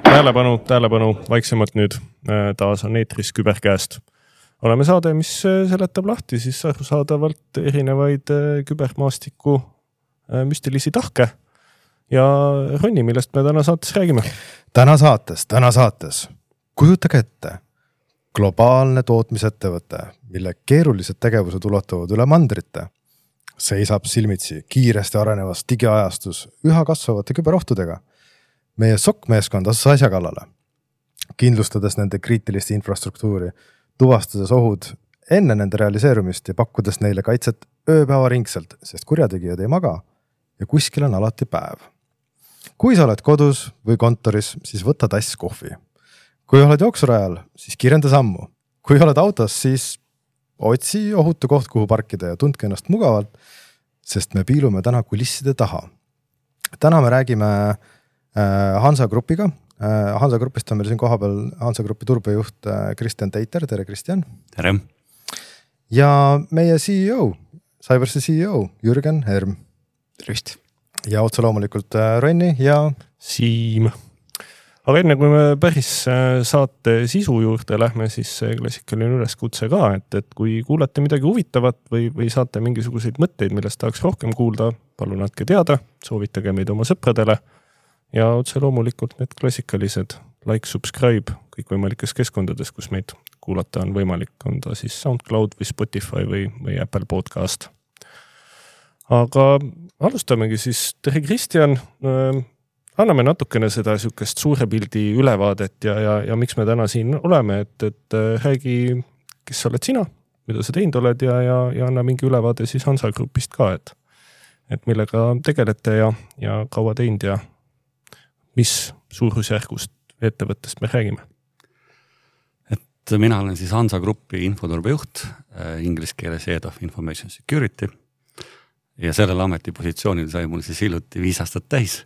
Tähelepanu, vaiksemalt nüüd. Taas on eetris Küberkäest. Oleme saade, mis seletab lahti siis arusaadavalt erinevaid kübermaastiku müstilisi tahke ja Ronni, millest me täna saates räägime. Täna saates. Kujutage ette. Globaalne tootmisettevõte, mille keerulised tegevused ulatuvad üle mandrite, seisab silmitsi kiiresti arenevas digiajastus üha kasvavate küberohtudega. Meie SOC-meeskond asus asja kallale, kindlustades nende kriitilist infrastruktuuri, tuvastades ohud enne nende realiseerumist ja pakkudes neile kaitset ööpäeva ringselt, sest kurjategijad ei maga ja kuskil on alati päev. Kui sa oled kodus või kontoris, siis võta tass kohvi. Kui oled jooksurajal, siis kirjenda sammu. Kui oled autos, siis otsi ohutu koht, kuhu parkida ja tundke ennast mugavalt, sest me piilume täna kulisside taha. Täna me räägime Hansa Grupiga. Hansa Grupist on meil siin kohapeal Hansa Grupi turbejuht Kristjan Teiter. Tere, Kristjan. Tere. Ja meie CEO, Cybersi CEO Jürgen Herm. Tervist. Ja otse loomulikult Ronni ja Siim. Aga enne kui me päris saate sisu juurde lähme, siis klassikaline üleskutse ka, et kui kuulete midagi huvitavat või saate mingisuguseid mõtteid, millest tahaks rohkem kuulda, palun andke teada, soovitage meid oma sõpradele. Ja otse loomulikult need klassikalised like, subscribe kõik võimalikes keskkondades, kus meid kuulata on võimalik, on ta siis SoundCloud või Spotify või Apple Podcast. Aga alustamegi siis. Tere, Kristjan. Anname natukene seda sükest suure pildi ülevaadet ja miks me täna siin oleme, et räägi, kes oled sina, mida sa teinud oled ja anna mingi ülevaade siis Hansa Grupist ka, et millega tegelete ja kaua teinud ja mis suurusjärgust ettevõttest me räägime? Et mina olen siis Hansa Grupi infoturbejuht, inglise keeles Head of Information Security ja sellel ametipositsioonil sai mul siis hiljuti 5 aastat täis.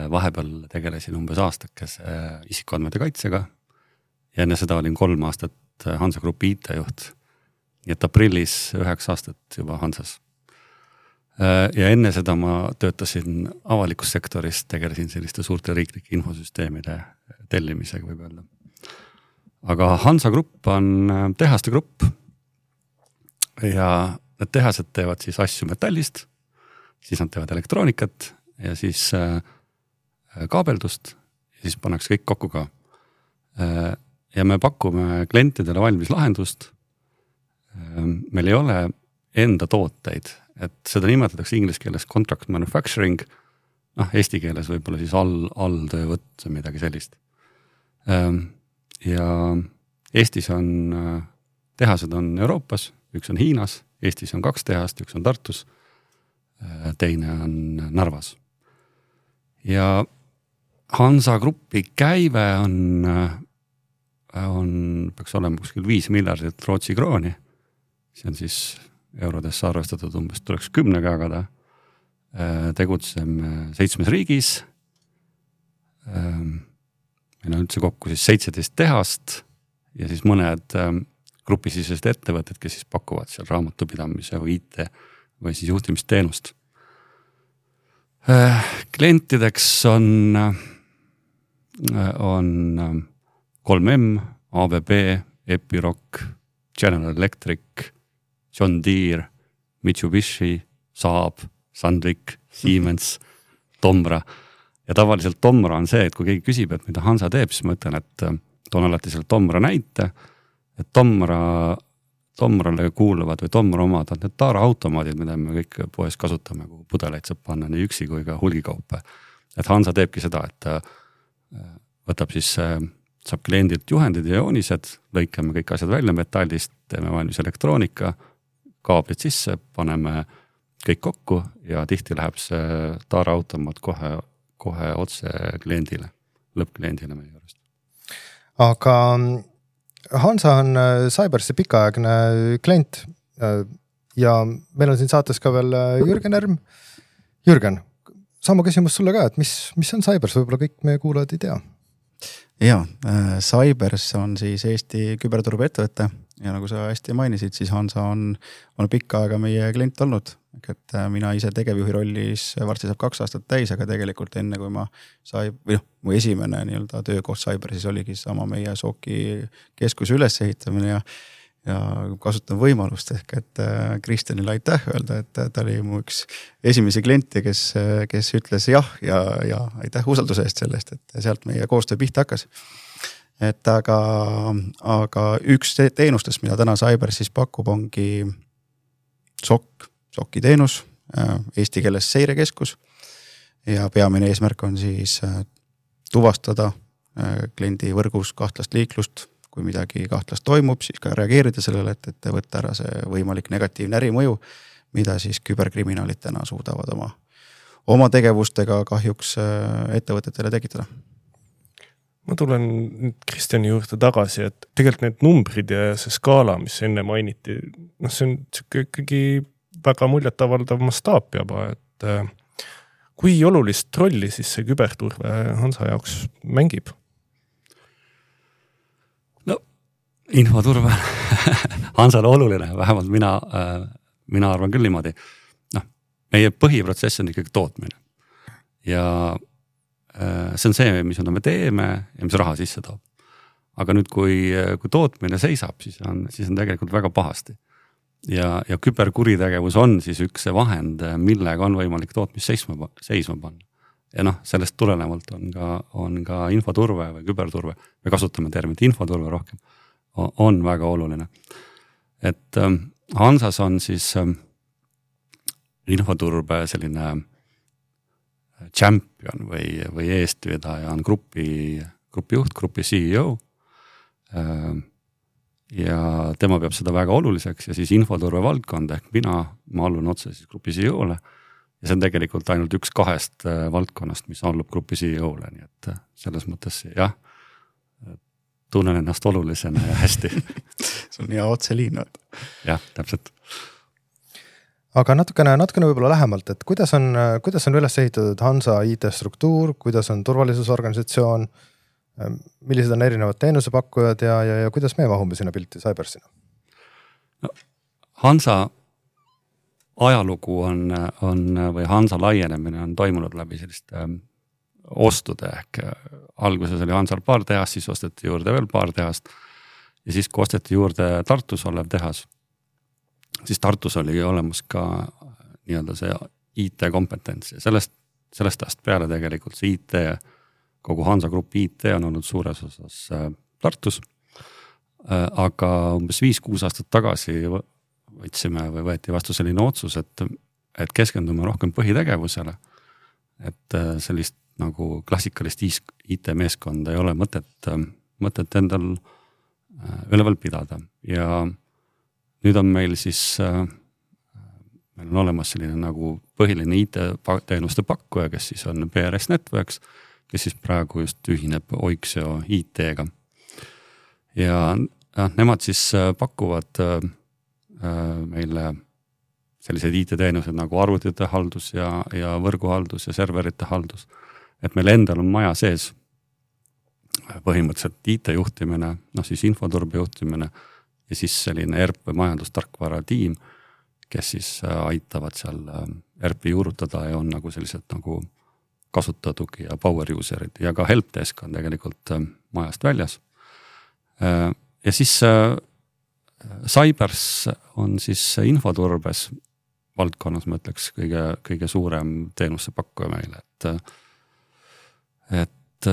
Vahepeal tegelesin umbes aastakese isikuandmete kaitsega ja enne seda olin 3 aastat Hansa Grupi IT-juht. Nii et aprillis 9 aastat juba Hansas. Ja enne seda ma töötasin avalikus sektoris, tegelesin selliste suurte riiklike infosüsteemide tellimisega võib öelda. Aga Hansa Grupp on tehaste grupp ja need tehased teevad siis asju metallist, siis nad teevad elektroonikat ja siis kaabeldust ja siis pannakse kõik kokku ka. Ja me pakume klientidele valmis lahendust. Meil ei ole enda tooteid, et seda nimetatakse inglise keeles contract manufacturing, eesti keeles võib-olla siis alltöövõtt, midagi sellist. Ja Eestis on, tehased on Euroopas, üks on Hiinas, Eestis on 2 tehast, üks on Tartus, teine on Narvas. Ja Hansa Grupi käive peaks olema kuskil 5 miljardit Rootsi krooni, see on siis eurodesse arvestatud umbes tuleks 10 jagada. Tegutseme 7 riigis. Meil on üldse kokku siis 17 tehast ja siis mõned grupisisesed ettevõtted, kes siis pakuvad seal raamatupidamise või IT või siis juhtimisteenust. Klientideks on 3M, ABB, Epiroc, General Electric, John Deere, Mitsubishi, Saab, Sandvik, Siemens, Tomra. Ja tavaliselt Tomra on see, et kui keegi küsib, et mida Hansa teeb, siis ma ütlen, et toon alati selle Tomra näite, et Tomrale kuuluvad või Tomra omad on need taaraautomaadid, mida me kõik poes kasutame, kuhu pudeleid saab panna nii üksi kui ka hulgikaupa. Et Hansa teebki seda, et võtab siis, saab kliendilt juhendid ja joonised, lõikame kõik asjad välja metallist, teeme valmis elektroonika, kaablid sisse, paneme kõik kokku ja tihti läheb see taaraautomaat kohe otse kliendile, lõppkliendile meie juurest. Aga Hansa on Cybersi pikaaegne klient ja meil on siin saates ka veel Jürgen Herm. Jürgen, sama küsimus sulle ka, et mis on Cybers, võib-olla kõik meie kuulajad ei tea? Jaa, Cybers on siis Eesti küberturbe ettevõte ja nagu sa hästi mainisid, siis Hansa on pikka aega meie klient olnud. et mina ise tegevjuhi rollis varsti saab 2 aastat täis, aga tegelikult enne kui ma mu esimene nii-öelda töökoht Cybersis oligi sama meie SOC-i keskuse ülesehitamine ja kasutan võimalust ehk, et Kristjanile aitäh öelda, et ta oli mu üks esimesi kliente, kes ütles jah ja aitäh usalduse eest sellest, et sealt meie koostöö pihta hakkas. Et aga üks teenustest, mida täna Cybersis pakub, ongi SOC-i teenus, eesti keeles seirekeskus ja peamine eesmärk on siis tuvastada kliendi võrgus kahtlast liiklust, kui midagi kahtlast toimub, siis ka reageerida sellele, et võtta ära see võimalik negatiivne ärimõju, mida siis küberkriminaalid täna suudavad oma tegevustega kahjuks ettevõtetele tekitada. Ma tulen nüüd Kristjani juurde tagasi, et tegelikult need numbrid ja see skaala, mis enne mainiti, see on ikkagi väga muljetavaldav mastaap juba, et kui olulist rolli siis see küberturve Hansa jaoks mängib? No, infoturve Hansale oluline, vähemalt mina arvan küll niimoodi. Meie põhiprotsess on ikkagi tootmine ja see on see, mis me teeme ja mis raha sisse toob. Aga nüüd, kui tootmine seisab, siis on tegelikult väga pahasti. Ja küberkuritegevus on siis üks see vahend, millega on võimalik tootmist seisma panna. Ja sellest tulenevalt on ka infoturve või küberturve, me kasutame terminit infoturve rohkem, on väga oluline. Et Hansas on siis infoturbe selline champion või eestvedaja on grupi juht, grupi CEO ja tema peab seda väga oluliseks ja siis infoturve valdkond ehk ma allun otse siis grupi CEO-le ja see on tegelikult ainult üks 2 valdkonnast, mis allub grupi CEO-le, nii et selles mõttes jah, tunnen ennast olulisena ja hästi. See on hea otseliin. Jah, täpselt. Aga natukene võib-olla lähemalt, et kuidas on üles ehitatud Hansa IT-struktuur, kuidas on turvalisusorganisatsioon, millised on erinevad teenusepakkujad ja kuidas me mahume sinna pilti Cybersina? No, Hansa ajalugu või Hansa laienemine on toimunud läbi selliste ostude ehk alguses oli Hansal paar tehast, siis osteti juurde veel paar tehast ja siis kui osteti juurde Tartus olev tehas, siis Tartus oli olemas ka nii-öelda see IT-kompetents ja sellest ajast peale tegelikult see IT, kogu Hansa grupi IT on olnud suures osas Tartus. Aga umbes 5-6 aastat tagasi võeti vastu selline otsus, et keskendume rohkem põhitegevusele, et sellist nagu klassikalist IT-meeskonda ei ole mõtet endal üleval pidada ja nüüd on meil on olemas selline nagu põhiline IT-teenuste pakkuja, kes siis on PRS Networks, kes siis praegu just ühineb Oiksio IT-ga. Ja nemad siis pakuvad meile sellised IT-teenused nagu arvutite haldus ja võrguhaldus ja serverite haldus. Et meil endal on maja sees põhimõtteliselt IT-juhtimine, siis infoturbe juhtimine, ja siis selline ERP või majandustarkvara tiim, kes siis aitavad seal ERP-i juurutada ja on nagu sellised nagu kasutajatugi ja power userid ja ka helpdesk on tegelikult majast väljas. Ja siis Cybers on siis infoturbes valdkonnas, ma ütleks, kõige suurem teenuste pakkuja meile, et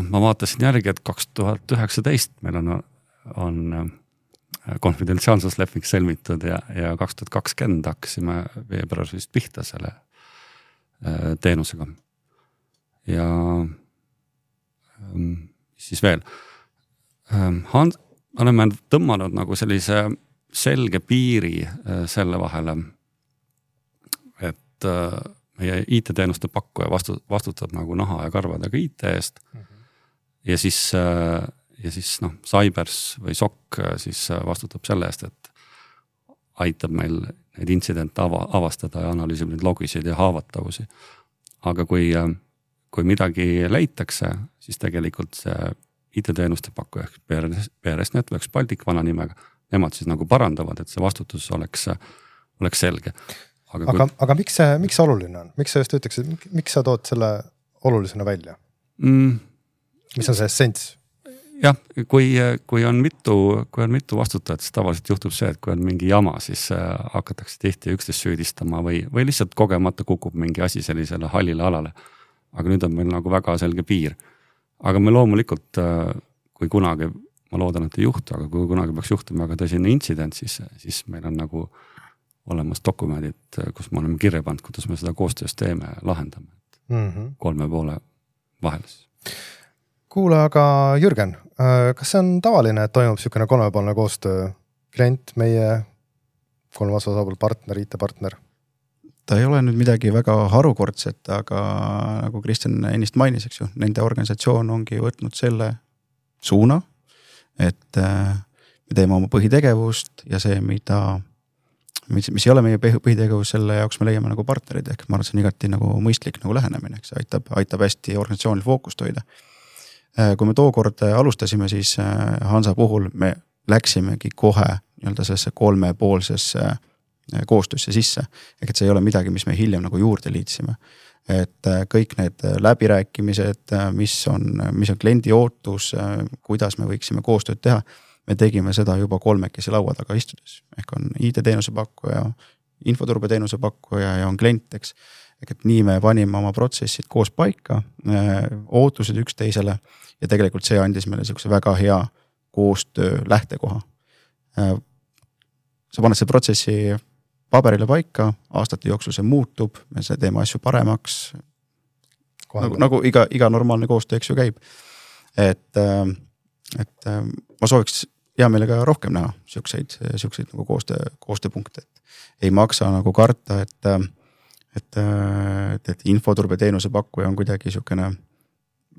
ma vaatasin järgi, et 2019 meil on konfidentsiaalsusleping sõlmitud ja 2020 hakkasime veebruaris vist pihta selle teenusega. Ja siis veel. Oleme tõmmanud nagu sellise selge piiri selle vahele, et meie IT-teenuste pakkuja vastutab nagu naha ja karvadega IT eest ja siis Cybers või SOC siis vastutab selle eest, et aitab meil neid intsidente avastada ja analüüsib neid logisid ja haavatavavusi. Aga kui midagi leitakse, siis tegelikult see IT-teenuste pakkuja PRS Networks Baltic vana nimega, nemad siis nagu parandavad, et see vastutus oleks selge. aga miks see oluline on? Miks sa just ütleksid, miks sa tood selle olulisena välja? Mis on see essents? Jah, kui on mitu vastutajat, siis tavaliselt juhtub see, et kui on mingi jama, siis hakatakse tihti üksteist süüdistama või lihtsalt kogemata kukub mingi asi sellisele hallile alale. Aga nüüd on meil nagu väga selge piir. Aga me loomulikult, kui kunagi, ma loodan, et ei juhtu, aga kui kunagi peaks juhtuma väga tõsine intsident, siis meil on nagu olemas dokumendid, kus me oleme kirja pannud, kuidas me seda koostöös teeme ja lahendame. 3 poole vahel. Kuule, aga Jürgen, kas see on tavaline, et toimub niisugune 3-poolne koostöö? Klient, meie 3 osapool partner, IT-partner? Ta ei ole nüüd midagi väga harukordset, aga nagu Kristjan ennist mainis, eks ju, nende organisatsioon ongi võtnud selle suuna, et me teeme oma põhitegevust ja see, mis ei ole meie põhitegevus, selle jaoks me leiame nagu partnerid, ehk ma arvan, see on igati nagu mõistlik nagu lähenemine, eks aitab hästi organisatsioonil fookust hoida. Kui me tookord alustasime, siis Hansa puhul me läksimegi kohe sellesse 3-poolsesse koostöösse sisse. Ehk et see ei ole midagi, mis me hiljem nagu juurde liitsime. Et kõik need läbirääkimised, mis on kliendi ootus, kuidas me võiksime koostööd teha, me tegime seda juba 3 laua taga istudes. Ehk on IT-teenuse pakkuja, infoturbeteenuse pakkuja ja on klient, eks. Ehk et nii me panime oma protsessid koos paika, ootused üksteisele ja tegelikult see andis meile selline väga hea koostöö lähtekoha. Sa paned see protsessi paberile paika, aastate jooksul see muutub, me teeme asju paremaks, nagu iga normaalne koostöö, eks ju käib. Et ma sooviks hea meelega rohkem näha siukseid nagu koostööpunkte. Ei maksa nagu karta, et infoturbeteenuse pakkuja on kuidagi siukene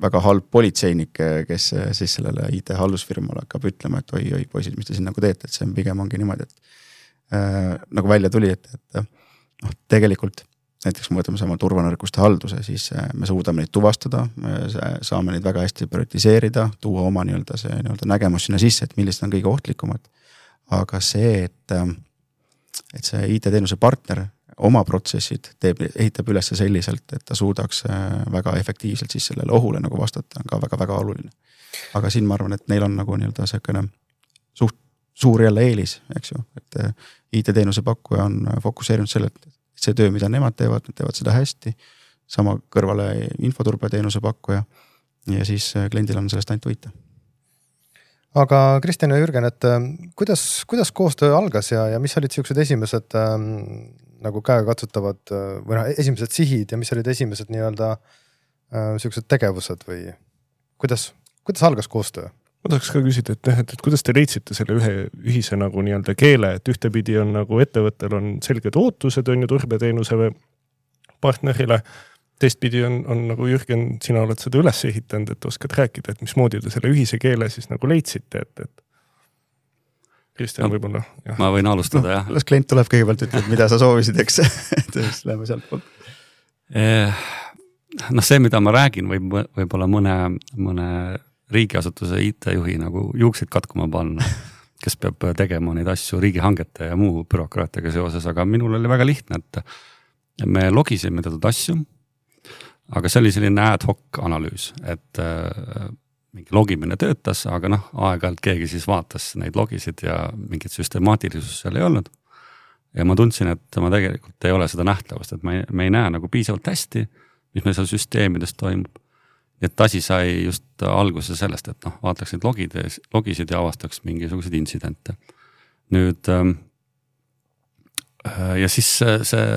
väga halb politseinik, kes siis sellele IT-hallusfirmale hakkab ütlema, et oi, poisid, mis te siin nagu teete, et see pigem ongi niimoodi, et nagu välja tuli, et tegelikult näiteks kui võtame sama turvanõrkuste halduse, siis me suudame neid tuvastada, me saame neid väga hästi prioritiseerida, tuua oma see nägemus sinna sisse, et millised on kõige ohtlikumad. Aga see, et see IT-teenuse partner oma protsessid ehitab üles selliselt, et ta suudaks väga efektiivselt siis sellele ohule nagu vastata, on ka väga-väga oluline. Aga siin ma arvan, et neil on nagu selline suht suur jälle eelis, eks ju, et IT-teenuse pakkuja on fokusseerinud selle, et see töö, mida nemad teevad seda hästi, sama kõrvale infoturbeteenuse pakkuja ja siis kliendil on sellest ainult võita. Aga Kristjan ja Jürgen, et kuidas koostöö algas ja mis olid siuksed esimesed nagu käekatsutavad või esimesed sihid ja mis olid esimesed siuksed tegevused või kuidas algas koostöö? Ma tahaks ka küsida, et kuidas te leidsite selle ühise nagu keele, et ühtepidi on nagu ettevõttel on selged ootused on ju turbeteenuse partnerile, teistpidi on nagu Jürgen, sina oled seda üles ehitanud, et oskad rääkida, et mismoodi te selle ühise keele siis nagu leidsite, et Kristjan võib-olla. Ma võin alustada, jah. Las klient tuleb kõigepealt ütleb, mida sa soovisid, eks, et siis läheme sealt poolt. See, mida ma räägin, võib-olla mõne riigiasutuse IT-juhi nagu juukseid katkuma panna, kes peab tegema neid asju riigihangete ja muu bürokraatiaga seoses, aga minul oli väga lihtne, et me logisime teatud asju, aga see oli selline ad hoc analüüs, et mingi logimine töötas, aga aeg-ajalt keegi siis vaatas neid logisid ja mingit süstemaatilisust seal ei olnud. Ja ma tundsin, et ma tegelikult ei ole seda nähtavust, et me ei näe nagu piisavalt hästi, mis meil seal süsteemides toimub. Et asi sai just alguse sellest, et vaataks neid logisid ja avastaks mingisuguseid intsidente. Nüüd ja siis see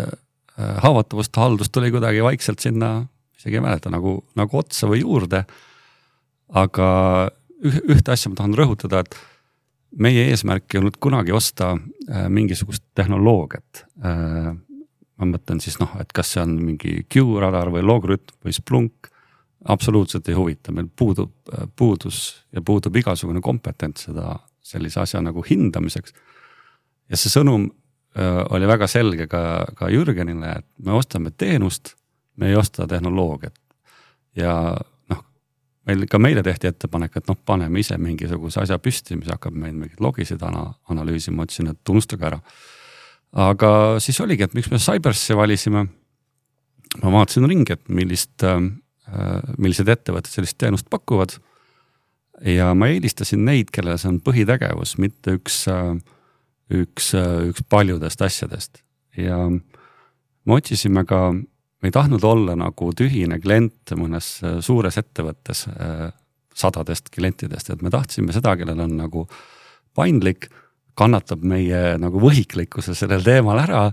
haavatavust haldus tuli kuidagi vaikselt sinna, isegi ei mäleta, nagu otsa või juurde. Aga ühte asja ma tahan rõhutada, et meie eesmärk ei olnud kunagi osta mingisugust tehnoloogiat. Ma mõtlen siis, et kas see on mingi Q-radar või Logrütm või Splunk, absoluutselt ei huvita, meil puudub igasugune kompetents seda sellise asja nagu hindamiseks. Ja see sõnum oli väga selge ka Jürgenile, et me ostame teenust, me ei osta tehnoloogiat. Ja meile tehti ettepanek, et paneme ise mingisuguse asja püsti, mis hakkab meil mingid logisid analüüsima, otsin, et tunnustage ära. aga siis oligi, et miks me Cybers'i valisime. Ma vaatasin ringi, et millised ettevõtted sellist teenust pakuvad ja ma eelistasin neid, kellel see on põhitegevus, mitte üks paljudest asjadest ja me otsisime ka, me ei tahtnud olla nagu tühine klient mõnes suures ettevõttes sadadest klientidest, et me tahtsime seda, kellel on nagu paindlik, kannatab meie nagu võhiklikkuse sellel teemal ära,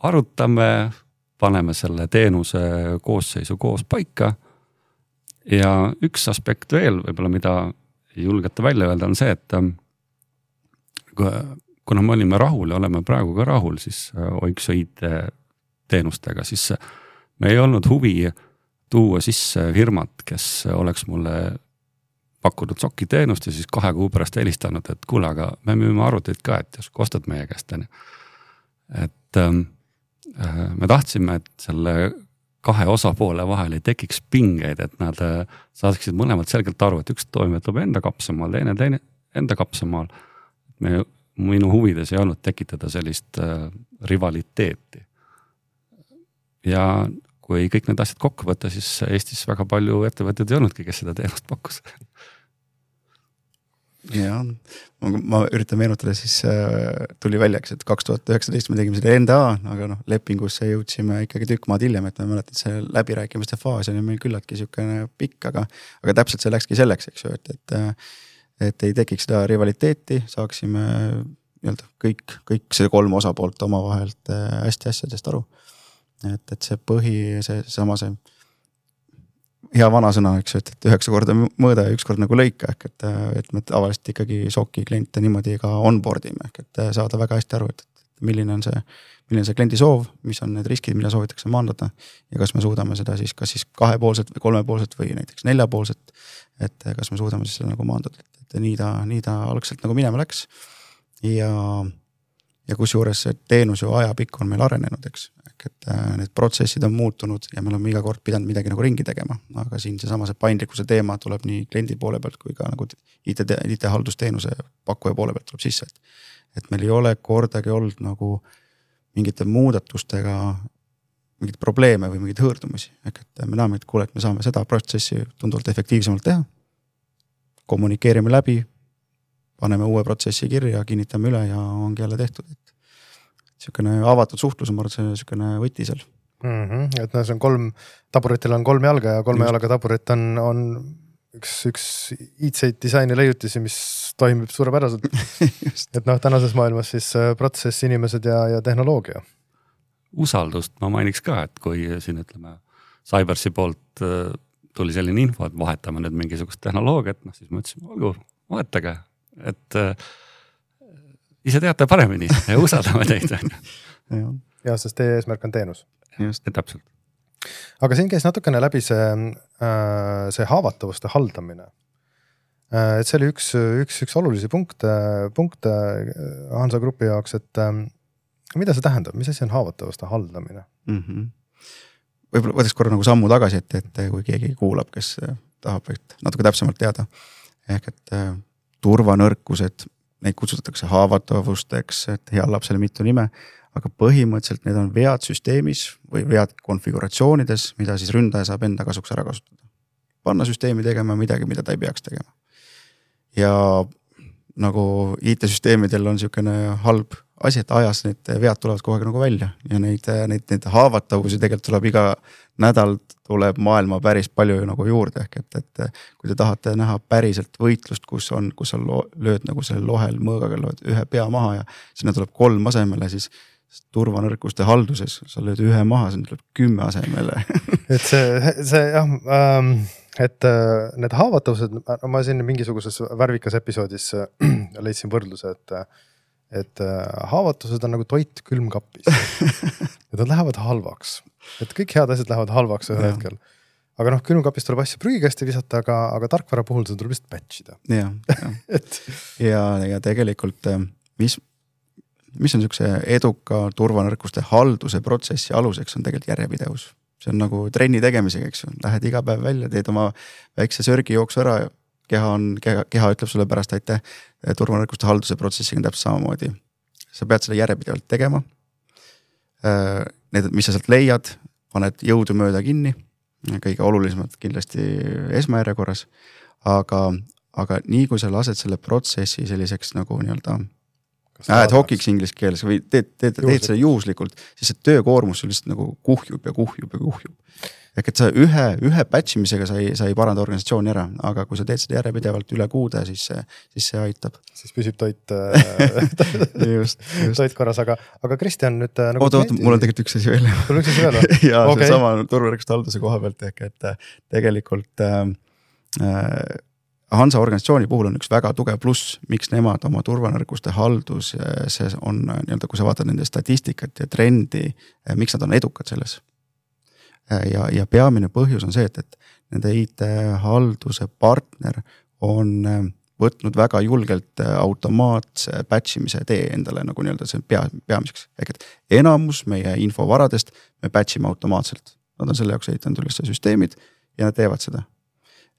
arutame, paneme selle teenuse koosseisu koos paika ja üks aspekt veel, võib-olla mida ei julgeta välja öelda, on see, et kuna me olime rahul ja oleme praegu ka rahul, siis Oikso IT teenustega, siis me ei olnud huvi tuua sisse firmat, kes oleks mulle pakkunud SOC-i teenust ja siis 2 kuu pärast helistanud, et kuule, aga me müüme arvuteid ka, et jos kostad meie käest. Et me tahtsime, et selle 2 osapoole vahel ei tekiks pingeid, et nad saaksid mõlemad selgelt aru, et üks toimetab enda kapsamaal, teine enda kapsamaal. Minu huvides ei olnud tekitada sellist rivaliteeti. Ja kui kõik need asjad kokku võtta, siis Eestis väga palju ettevõtted ei olnudki, kes seda teenust pakkus. Ja, ma üritan meenutada, siis tuli väljaks, et 2019 me tegime selle NDA, aga lepingusse jõudsime ikkagi tükk maad hiljem, et ma mäletan, et see läbirääkimiste faas oli meil küllaltki niisugune pikk, aga täpselt see läkski selleks, eks ju, et ei tekiks seda rivaliteeti, saaksime kõik see 3 osapoolt omavahelt hästi asjadest aru. Et see seesama see hea vana sõna, eks ju, et 9 korda mõõda ja 1 kord nagu lõika, et me tavaliselt ikkagi SOC-i kliente niimoodi ka onboard ime, et saada väga hästi aru, et milline on see kliendi soov, mis on need riskid, mida soovitakse maandada ja kas me suudame seda siis kas siis 2-poolselt või 3-poolselt või näiteks 4-poolselt, et kas me suudame siis seda nagu maandada, et nii ta algselt nagu minema läks ja kusjuures see teenus ju ajapikku on meil arenenud, eks, et need protsessid on muutunud ja me oleme iga kord pidanud midagi nagu ringi tegema, aga siin see paindlikkuse teema tuleb nii kliendi poole pealt kui ka nagu IT-haldusteenuse pakkuja poole pealt tuleb sisse, et meil ei ole kordagi olnud nagu mingite muudatustega mingid probleeme või mingeid hõõrdumisi, et me näeme, et kuule, et me saame seda protsessi tunduvalt efektiivsemalt teha, kommunikeerime läbi, paneme uue protsessi kirja, kinnitame üle ja ongi jälle tehtud, et niisugune avatud suhtlus on see niisugune võti seal. Et see on 3, taburitel on 3 jalga ja 3 jalaga taburit on üks IT disaini leiutisi, mis toimib suurepäraselt. Et tänases maailmas siis protsess, inimesed ja tehnoloogia. Usaldust ma mainiks ka, et kui siin ütleme Cybersi poolt tuli selline info, et vahetame nüüd mingisugust tehnoloogiat, siis ma ütlesin, olgu, vahetage, et ise teate paremini ja usaldame teid. Ja, sest teie eesmärk on teenus. Just, täpselt. Aga siin käis natukene läbi see haavatavuste haldamine. Et see oli üks olulisi punkte Hansa Grupi jaoks, et mida see tähendab, mis asi on haavatavuste haldamine? Võib-olla võtaks korra nagu sammu tagasi, et kui keegi kuulab, kes tahab natuke täpsemalt teada. Ehk et turvanõrkused, neid kutsutatakse haavatavusteks, et heal lapsele mitu nime, aga põhimõtteliselt need on vead süsteemis või vead konfiguratsioonides, mida siis ründaja saab enda kasuks ära kasutada. Panna süsteemi tegema midagi, mida ta ei peaks tegema. Ja nagu IT-süsteemidel on niisugune halb asi, et ajas need vead tulevad kogu aeg nagu välja ja neid haavatavusi tegelikult tuleb iga nädal tuleb maailma päris palju nagu juurde, ehk et kui te tahate näha päriselt võitlust, kus sa lööd nagu selle lohel mõõgaga lööd ühe pea maha ja sinna tuleb 3 asemele, siis turvanõrkuste halduses sa lööd 1 maha, sinna tuleb 10 asemele. Et see jah, et need haavatavused, ma siin mingisuguses värvikas episoodis leidsin võrdluse, et haavatused on nagu toit külmkapis. Ja nad lähevad halvaks. Et kõik head asjad lähevad halvaks ühel hetkel. Aga külmkapis tuleb asja prügikasti visata, aga tarkvara puhul seda tuleb lihtsalt patchida. Ja tegelikult, mis on niisuguse eduka turvanõrkuste halduse protsessi aluseks, on tegelikult järjepidevus. See on nagu trenni tegemisega, eks ju. Lähed iga päev välja, teed oma väikse sörgi jooksu ära, keha ütleb sulle pärast aitäh, turvanõrkuste halduse protsessiga täpselt samamoodi. sa pead seda järjepidevalt tegema. Need, mis sa sealt leiad, paned jõudu mööda kinni, kõige olulisemad kindlasti esmajärjekorras, aga nii kui sa lased selle protsessi selliseks nagu nii-öelda ad hoc'iks inglise keeles või teed seda juhuslikult, siis see töökoormus lihtsalt nagu kuhjub. Ehk et sa ühe patchimisega sa ei paranda organisatsiooni ära, aga kui sa teed seda järjepidevalt üle kuude, siis see aitab. Siis püsib toit just. korras, aga Kristjan nüüd nagu oota, mul on tegelikult üks asi veel. Sul üks asi veel või? ja okay. See sama turvavõrguste halduse koha pealt ehk, et tegelikult Hansa organisatsiooni puhul on üks väga tugev pluss, miks nemad oma turvavõrguste haldus, see on nii-öelda, kui sa vaatad nende statistikat ja trendi, miks nad on edukad selles. Ja peamine põhjus on see, et nende IT-halduse partner on võtnud väga julgelt automaatse patchimise tee endale nagu nii-öelda see peamiseks. Ehk et enamus meie infovaradest me patchime automaatselt. Nad on selle jaoks ehitanud üles süsteemid ja nad teevad seda.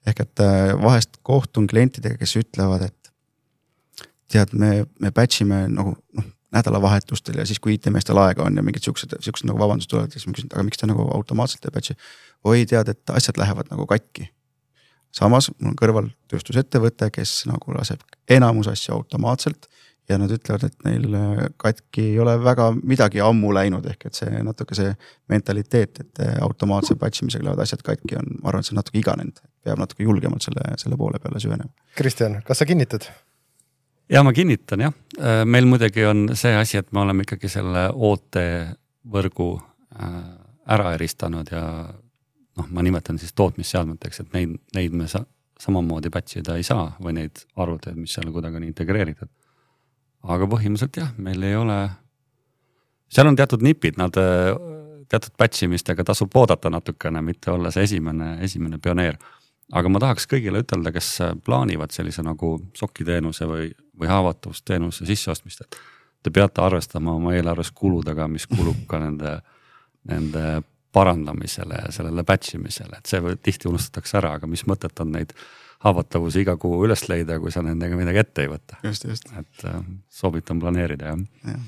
Ehk et vahest kohtun klientidega, kes ütlevad, et tead, me patchime nagu nädalavahetustel ja siis, kui IT-meestel aega on ja mingid siuksed nagu vabandust tulevad, siis ma küsin, aga miks ta nagu automaatselt ei patchi? Oi, tead, et asjad lähevad nagu katki. Samas, mul on kõrval tööstusettevõte, kes nagu laseb enamus asju automaatselt ja nad ütlevad, et neil katki ei ole väga midagi ammu läinud, ehk et see natuke see mentaliteet, et automaatse patchimisega lähevad asjad katki on, ma arvan, et see on natuke iganenud. Peab natuke julgemalt selle poole peale süvenema. Kristjan, kas sa kinnitad? Ja ma kinnitan, jah. Meil muidugi on see asi, et me oleme ikkagi selle OT võrgu ära eristanud ja ma nimetan siis tootmisseadmeteks, et neid me samamoodi patchida ei saa või neid arvuteid, mis seal kuidagi on integreeritud. Aga põhimõtteliselt jah, meil ei ole, seal on teatud nipid, nad teatud patchimistega tasub oodata natukene, mitte olla see esimene pioneer. Aga ma tahaks kõigile ütelda, kes plaanivad sellise nagu sokiteenuse või haavatavusteenuse sisseostmist, et te peate arvestama oma eelarves kuludega, mis kulub ka nende parandamisele ja sellele patchimisele, et see tihti unustatakse ära, aga mis mõtet on neid haavatavusi iga kuu üles leida, kui sa nendega midagi ette ei võta. Just. Et soovitan planeerida, jah.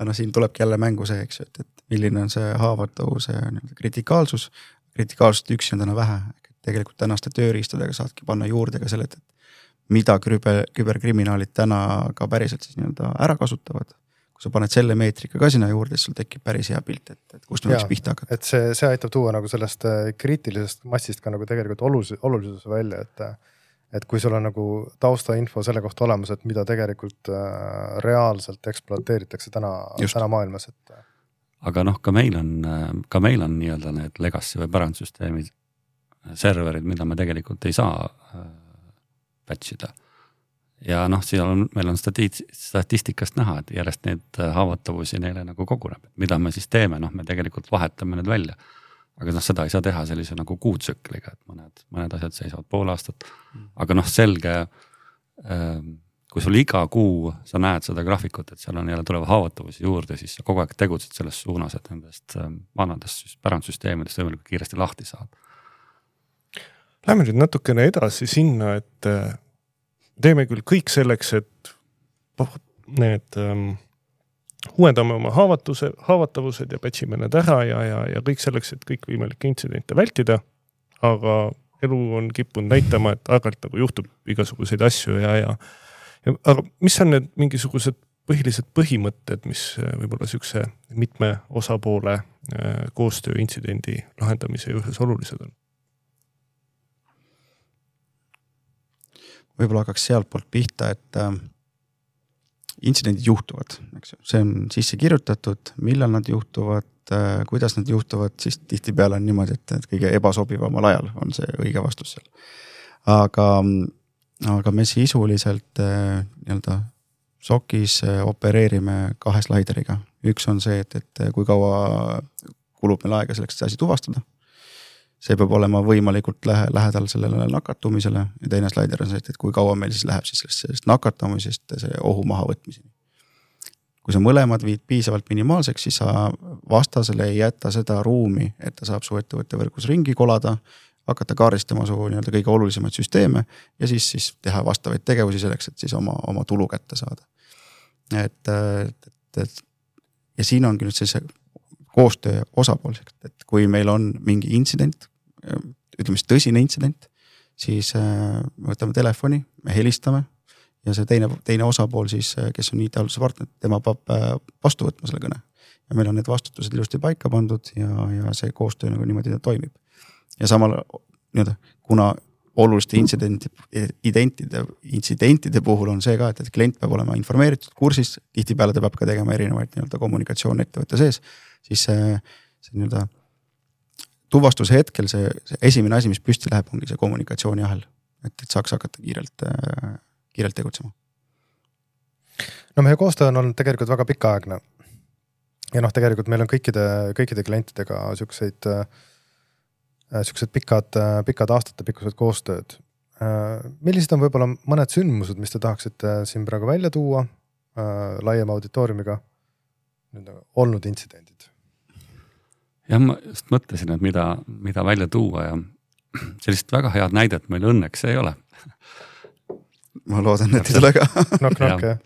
Aga siin tulebki jälle mängu see, eks, et milline on see haavatavuse kritikaalsus. Kritikaalsust üksi on täna vähe. Tegelikult tänaste tööriistadega saadki panna juurde ka selle, et mida küberkriminaalid täna ka päriselt siis nii-öelda ära kasutavad. Kui sa paned selle meetrika ka sinna juurde, siis sul tekib päris hea pilt, et kust võiks pihta hakata. Et see aitab tuua nagu sellest kriitilisest massist ka nagu tegelikult olulisuse välja, et kui sul on nagu taustainfo selle kohta olemas, et mida tegelikult reaalselt ekspluateeritakse täna maailmas. Aga ka meil on nii-öelda need legacy või pärandsüsteemid, serverid, mida me tegelikult ei saa patchida. Ja meil on statistikast näha, et järjest need haavatavusi neile nagu koguneb. Mida me siis teeme? Me tegelikult vahetame need välja. Aga seda ei saa teha sellise nagu kuutsükliga, et mõned asjad seisavad pool aastat. Aga selge, kui sul iga kuu sa näed seda graafikut, et seal on jälle tulevad haavatavusi juurde, siis sa kogu aeg tegutsed selles suunas, et nendest vanadest pärandsüsteemidest võimalikult kiiresti lahti saada. Lähme nüüd natukene edasi sinna, et teeme küll kõik selleks, et need uuendame oma haavatavused ja patchime need ära ja kõik selleks, et kõik võimalikke intsidente vältida, aga elu on kippunud näitama, et aeg-ajalt nagu juhtub igasuguseid asju aga mis on need mingisugused põhilised põhimõtted, mis võib-olla siukse mitme osapoole koostöö intsidendi lahendamise juures olulised on? Võib-olla hakkaks sealt poolt pihta, et intsidendid juhtuvad. Eks? See on sisse kirjutatud, millal nad juhtuvad, kuidas nad juhtuvad, siis tihti peale on niimoodi, et kõige ebasobivamal ajal on see õige vastus seal. Aga me sisuliselt nii-öelda SOC-is opereerime 2 slaideriga. Üks on see, et kui kaua kulub meil aega selleks asi tuvastada. See peab olema võimalikult lähedal sellele nakatumisele ja teine slaider on see, et kui kaua meil siis läheb siis sellest nakatumisest see ohu maha võtmiseni. Kui sa mõlemad viid piisavalt minimaalseks, siis sa vastasele ei jätta seda ruumi, et ta saab su ettevõtte võrgus ringi kolada, hakata kaardistama su nii-öelda kõige olulisemaid süsteeme ja siis teha vastavaid tegevusi selleks, et siis oma tulu kätte saada. Et ja siin ongi nüüd see koostöö osapoolseks, et kui meil on mingi intsident, ütleme siis tõsine intsident, siis me võtame telefoni, me helistame ja see teine osapool siis, kes on IT-halduse partner, tema peab vastu võtma selle kõne. Ja meil on need vastutused ilusti paika pandud ja see koostöö nagu niimoodi toimib. Ja samal, kuna oluliste intsidentide puhul on see ka, et klient peab olema informeeritud kursis, tihtipeale ta peab ka tegema erinevaid kommunikatsioon ettevõtte sees, siis see tuvastuse hetkel see esimene asi, mis püsti läheb, ongi see kommunikatsiooni ahel, et saaks hakata kiirelt tegutsema. No meie koostöö on olnud tegelikult väga pikaaegne ja tegelikult meil on kõikide klientidega siuksed pikad aastate pikkused koostööd. Millised on võib-olla mõned sündmused, mis te tahaksite siin praegu välja tuua laiema auditooriumiga olnud intsidendid? Ja ma just mõtlesin, et mida välja tuua ja sellist väga head näidet meil õnneks ei ole. Ma loodan, et ei tule ka. Knock, jah.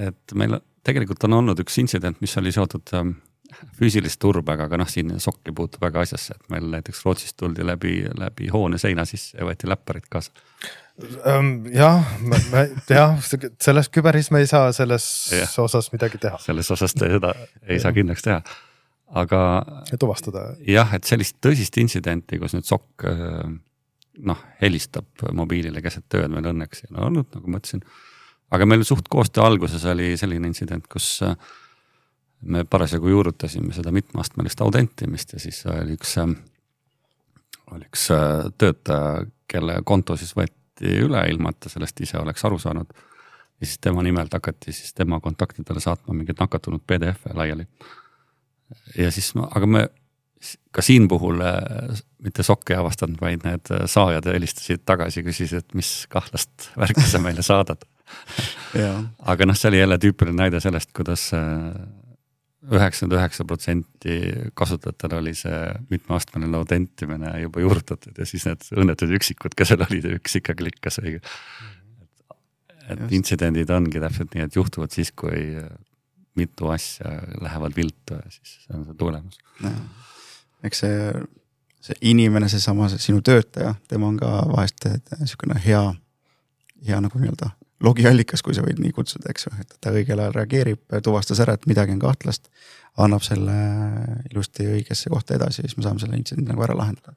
Et meil tegelikult on olnud üks intsident, mis oli seotud füüsilist turbega, aga siin sokk ei puutu väga asjasse, et meil näiteks Rootsist tuldi läbi hoone seina sisse ja võeti läpparid kaasa. Selles küberis me ei saa selles osas midagi teha. Selles osas seda ei saa kindlaks teha. Aga tuvastada. Jah, et sellist tõsist intsidenti, kus nüüd sokk helistab mobiilile keset tööd meil õnneks ei olnud, nagu ma ütlesin. Aga meil suht koostöö alguses oli selline intsident, kus me parasjagu juurutasime seda mitmeastmelist autentimist ja siis oli üks töötaja, kelle konto siis võeti üle ilma, et ta sellest ise oleks aru saanud. Ja siis tema nimelt hakati siis tema kontaktidele saatma mingid nakatunud PDF-e laiali. Ja siis, aga me ka siin puhul mitte sokk ei avastanud, vaid need saajad helistasid tagasi, küsisid, et mis kahtlast värki sa meile saadad. Aga see oli jälle tüüpiline näide sellest, kuidas 99% kasutajatel oli see mitmeastmeline autentimine juba juurutatud ja siis need õnnetud üksikud, kes seal olid, üks ikka klikkas õige. Et intsidendid ongi täpselt nii, et juhtuvad siis, kui mitu asja lähevad viltu ja siis see on see tulemus. Eks see inimene, seesama sinu töötaja, tema on ka vahest niisugune hea nagu logiallikas, kui sa võid nii kutsuda, eks ju, et ta õigel ajal reageerib, tuvastas ära, et midagi on kahtlast, annab selle ilusti õigesse kohta edasi ja siis me saame selle intsidendi nagu ära lahendada.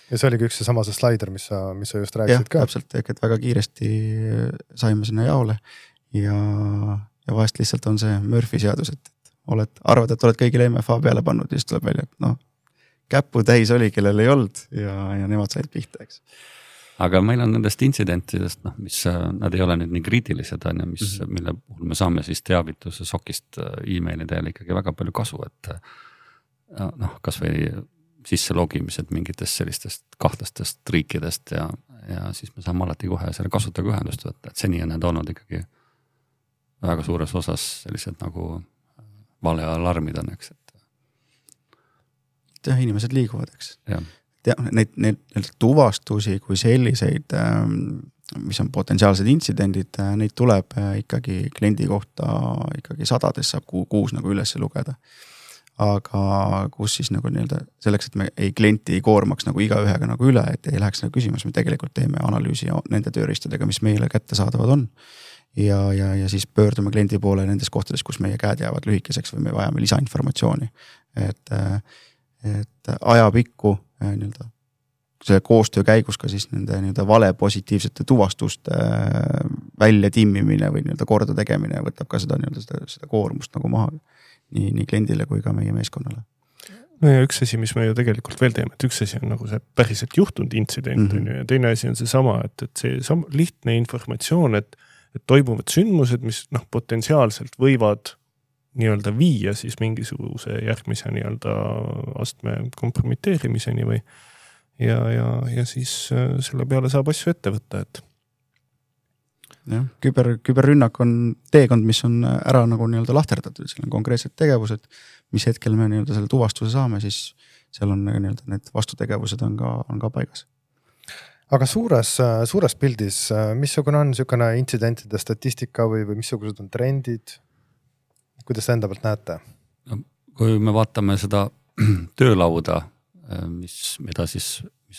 Ja see oligi üks seesama see slider, mis sa just rääkisid ka. Jah, täpselt, et väga kiiresti saime sinna jaole ja vahest lihtsalt on see Murphy seadus, et arvad, et oled kõigile MFA peale pannud ja siis tuleb välja, et käpu täis oli, kellel ei olnud ja nemad said pihta, eks. Aga meil on nendest intsidentidest, mis nad ei ole nüüd nii kriitilised, mille puhul me saame siis teavituse sokist e-maili teel ikkagi väga palju kasu, et kas või sisse logimised mingitest sellistest kahtlastest riikidest ja siis me saame alati kohe selle kasutajaga ühendust võtta, et seni on need olnud ikkagi väga suures osas sellised nagu valealarmid on, eks. Inimesed liiguvad, eks. Neid tuvastusi kui selliseid, mis on potentsiaalsed intsidendid, neid tuleb ikkagi kliendi kohta ikkagi sadades saab kuus nagu üles lugeda. Aga kus siis nagu selleks, et me klienti ei koormaks nagu igaühega nagu üle, et ei läheks nagu küsimus, me tegelikult teeme analüüsi nende tööriistadega, mis meile kätte saadavad on. Ja siis pöördume kliendi poole nendes kohtades, kus meie käed jäävad lühikeseks või me vajame lisainformatsiooni. Et ajapikku selle koostöö käigus ka siis nende vale positiivsete tuvastuste välja timmimine või korda tegemine võtab ka seda koormust nagu maha nii kliendile kui ka meie meeskonnale. No ja üks asi, mis me ju tegelikult veel teeme, et üks asi on nagu see päriselt juhtunud intsident ja teine asi on seesama, et see lihtne informatsioon, et toimuvad sündmused, mis potentsiaalselt võivad nii-öelda viia siis mingisuguse järgmise nii-öelda astme kompromiteerimiseni või ja siis selle peale saab asju ette võtta, et. Jah, küberrünnak on teekond, mis on ära nagu nii-öelda lahterdatud, seal on konkreetsed tegevused, mis hetkel me nii-öelda selle tuvastuse saame, siis seal on nii-öelda need vastutegevused on ka paigas. Aga suures pildis, missugune on niisugune intsidentide statistika või missugused on trendid? kuidas enda pealt näete? Kui me vaatame seda töölauda, mis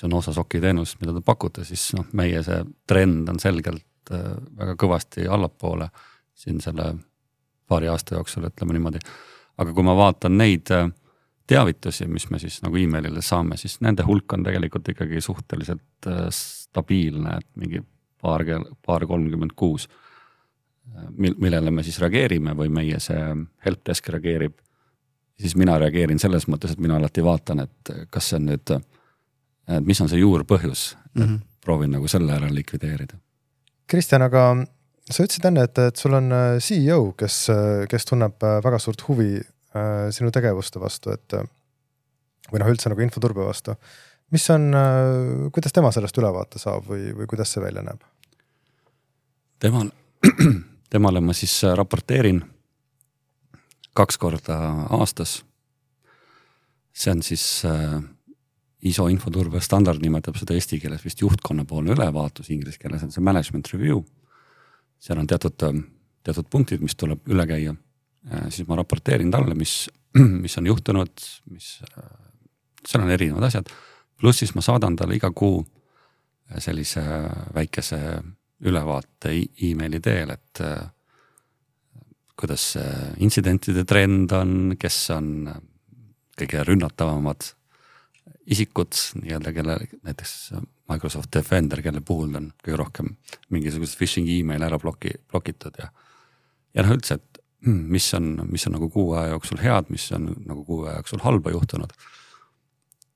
on osa Soki teenus, mida te pakute, siis meie see trend on selgelt väga kõvasti allapoole siin selle paari aasta jooksul, ütleme niimoodi. Aga kui ma vaatan neid teavitusi, mis me siis nagu emailile saame, siis nende hulk on tegelikult ikkagi suhteliselt stabiilne, et mingi paar 36, millele me siis reageerime või meie see helpdesk reageerib. Siis mina reageerin selles mõttes, et mina alati vaatan, et kas see on nüüd, mis on see juurpõhjus, proovin nagu selle ära likvideerida. Kristjan, aga sa ütlesid enne, et sul on CEO, kes tunneb väga suurt huvi sinu tegevuste vastu, või üldse nagu infoturbe vastu. Mis on, kuidas tema sellest ülevaate saab või kuidas see välja näeb? Temale ma siis raporteerin 2 korda aastas. See on siis ISO infoturbe standard, nimetab seda eesti keeles vist juhtkonnapoolne ülevaatus, inglise keeles on see management review. Seal on teatud punktid, mis tuleb üle käia. Siis ma raporteerin talle, mis on juhtunud, seal on erinevad asjad. Pluss siis ma saadan talle iga kuu sellise väikese ülevaate emaili teel, et kuidas intsidentide trend on, kes on kõige rünnatavamad isikud, kelle näiteks Microsoft Defender, kelle puhul on kõige rohkem mingisugust phishing email ära blokitud ja üldse, et mis on nagu kuu aja jooksul head, mis on nagu kuu aja jooksul halba juhtunud.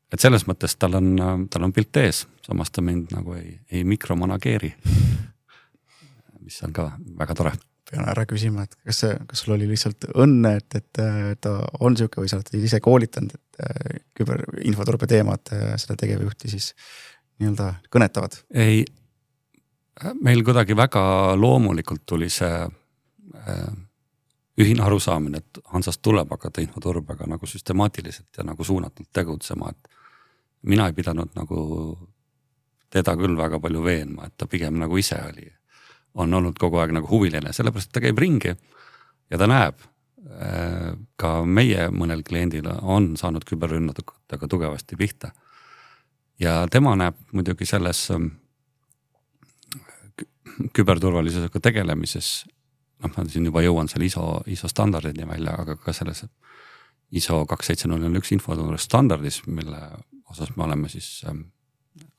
Et selles mõttes tal on pilt ees, samas ta mind nagu ei mikromanageeri, mis on ka väga tore. Pean ära küsima, et kas sul oli lihtsalt õnne, et ta on siuke või sa oled ise koolitanud, et küberinfoturbe teemad seda tegevjuhti siis nii-öelda kõnetavad? Ei, meil kuidagi väga loomulikult tuli see ühine arusaamine, et Hansast tuleb hakata infoturbega nagu süstemaatiliselt ja nagu suunatult tegutsema, et mina ei pidanud nagu teda küll väga palju veenma, et ta pigem nagu ise on olnud kogu aeg nagu huviline, sellepärast ta käib ringi ja ta näeb. Ka meie mõnel kliendil on saanud küberrünnatega tugevasti pihta. Ja tema näeb muidugi selles küberturvalisusega tegelemises, ma siin juba jõuan selle ISO standardini välja, aga ka selles ISO 27001 infoturbe standardis, mille osas me oleme siis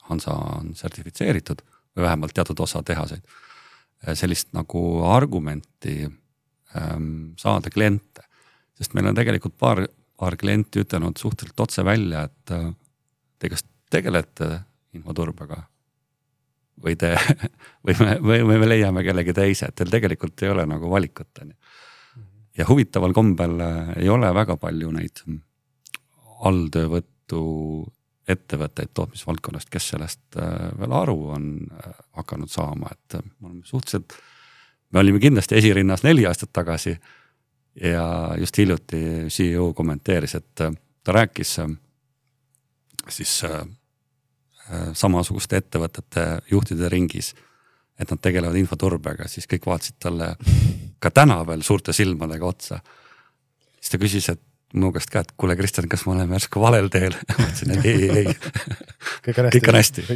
Hansa on sertifitseeritud või vähemalt teatud osa tehaseid. Sellist nagu argumenti saada kliente, sest meil on tegelikult paar klienti ütelnud suhteliselt otse välja, et te kas tegelete infoturbega või me leiame kellegi teise, et teil tegelikult ei ole nagu valikut. Ja huvitaval kombel ei ole väga palju neid alltöövõttu ettevõtteid tootmisvaldkonnast, kes sellest veel aru on hakanud saama, et me olime kindlasti esirinnas 4 aastat tagasi ja just hiljuti CEO kommenteeris, et ta rääkis siis samasuguste ettevõtete juhtide ringis, et nad tegelevad infoturbega, siis kõik vaatasid talle ka täna veel suurte silmadega otsa. Siis ta küsis, et minu käest ka, et kuule Kristjan, kas ma olen järsku valel teel? Mõtlesin, et ei. Kõik on hästi.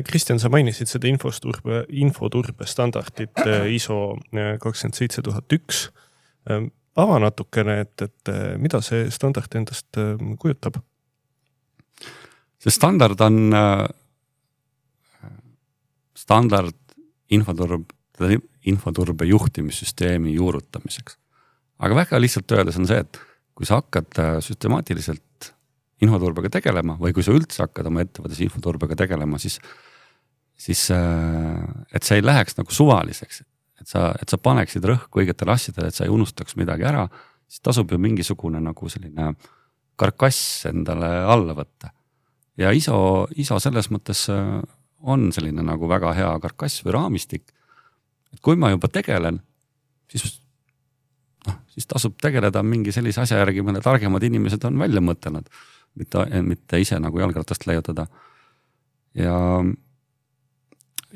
Kristjan, sa mainisid seda infoturbe standardit ISO 27001. Ava natukene, et mida see standard endast kujutab? See standard on standard infoturbe juhtimissüsteemi juurutamiseks. Aga väga lihtsalt öeldes on see, et kui sa hakkad süstemaatiliselt infoturbega tegelema või kui sa üldse hakkad oma ettevõttes infoturbega tegelema, siis et see ei läheks nagu suvaliseks, et sa paneksid rõhku õigetele asjadele, et sa ei unustaks midagi ära, siis tasub ju mingisugune nagu selline karkass endale alla võtta. Ja ISO selles mõttes on selline nagu väga hea karkass või raamistik, et kui ma juba tegelen, siis tasub tegeleda mingi sellise asja järgi, mille targemad inimesed on välja mõtelnud, mitte ise nagu jalgratast leiutada. Ja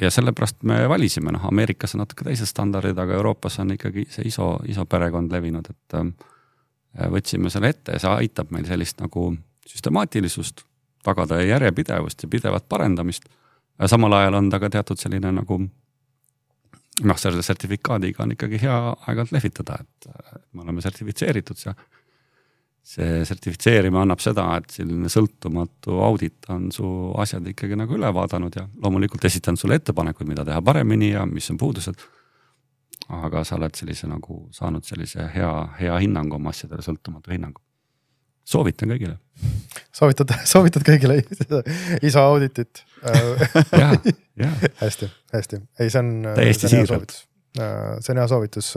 ja sellepärast me valisime, Ameerikas on natuke teised standardid, aga Euroopas on ikkagi see ISO perekond levinud, et võtsime selle ette ja see aitab meil sellist nagu süstemaatilisust, tagada järjepidevust ja pidevat parendamist. Samal ajal on ta ka teatud selline nagu selle sertifikaadiga on ikkagi hea aegalt lehvitada, et me oleme sertifitseeritud ja see sertifitseerima annab seda, et selline sõltumatu audit on su asjad ikkagi nagu üle vaadanud ja loomulikult esitan sulle ettepanekuid, mida teha paremini ja mis on puudused. Aga sa oled sellise nagu saanud sellise hea hinnangu oma asjadele, sõltumatu hinnangu. Soovitan kõigile. Soovitad kõigile ISO auditit. Hästi. Ei, see on hea soovitus. See on hea soovitus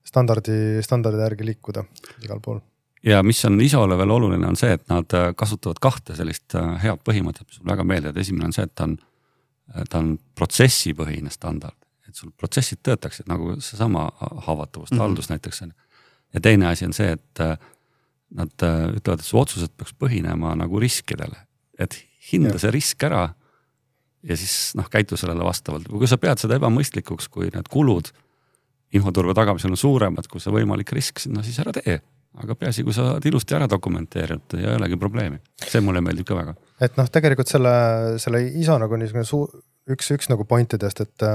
standardi järgi liikuda igal pool. Ja mis on ISO-le veel oluline on see, et nad kasutavad kahte sellist head põhimõtet, mis väga meeldib. Esimene on see, et ta on protsessipõhine standard. Et sul protsessid töötaksid nagu see sama haavatavust, haldus näiteks. Ja teine asi on see, et nad ütlevad, et su otsused peaks põhinema nagu riskidele. Et hinda see risk ära ja siis käitu sellele vastavalt. Kui sa pead seda ebamõistlikuks, kui need kulud infoturbe tagamisel on suuremad, kui see võimalik risk, siis ära tee. Aga peasi, kui sa ilusti ära dokumenteerinud ja ei olegi probleemi. See mulle meeldib ka väga. Et tegelikult selle ISO nagu üks nagu pointidest, et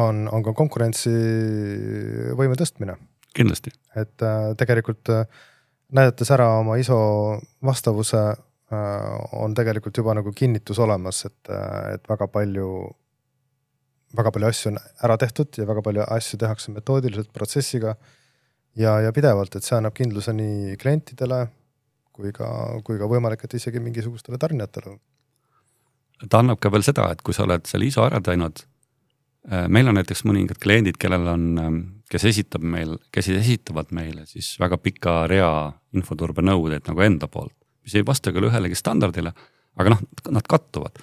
on ka konkurentsi võime tõstmine. Kindlasti. Et tegelikult näidates ära oma ISO vastavuse on tegelikult juba nagu kinnitus olemas, et väga palju asju on ära tehtud ja väga palju asju tehakse metoodiliselt protsessiga ja pidevalt, et see annab kindluse nii klientidele kui ka võimalik, et isegi mingisugustele tarnijatele. Ta annab ka veel seda, et kui sa oled selle ISO ära teinud, meil on näiteks mõningad kliendid, kes esitavad meile siis väga pika rea infoturbe nõudeid nagu enda poolt, mis ei vasta küll ühelegi standardile, aga nad kattuvad.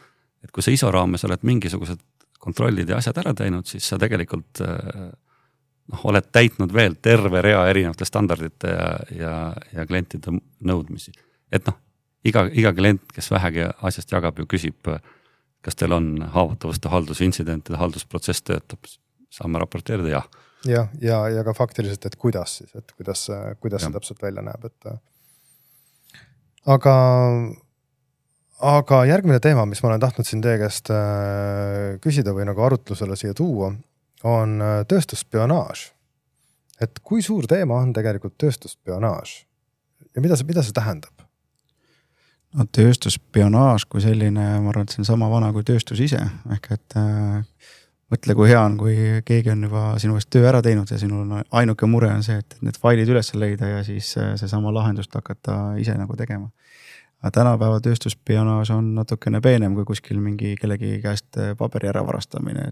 Et kui sa ISO raames oled mingisugused kontrollid ja asjad ära teinud, siis sa tegelikult oled täitnud veel terve rea erinevate standardite ja klientide nõudmisi. Et iga klient, kes vähegi asjast jagab ju küsib, kas teil on haavatavuste haldusintsidentide haldusprotsess töötab, saame raporteerida, jah. Ja ka faktiliselt, et kuidas see täpselt välja näeb. Aga järgmine teema, mis ma olen tahtnud siin teie käest küsida või nagu arutlusele siia tuua, on tööstusspionaaž. Et kui suur teema on tegelikult tööstusspionaaž ja mida see tähendab? No, tööstusspionaaž kui selline, ma arvan, et see on sama vana kui tööstus ise. Ehk et mõtle, kui hea on, kui keegi on juba sinu eest töö ära teinud ja sinul on ainuke mure on see, et need failid üles leida ja siis see sama lahendust hakata ise nagu tegema. Aga tänapäeva tööstusspionaaž on natukene peenem kui kuskil mingi kellegi käest paberi ära varastamine,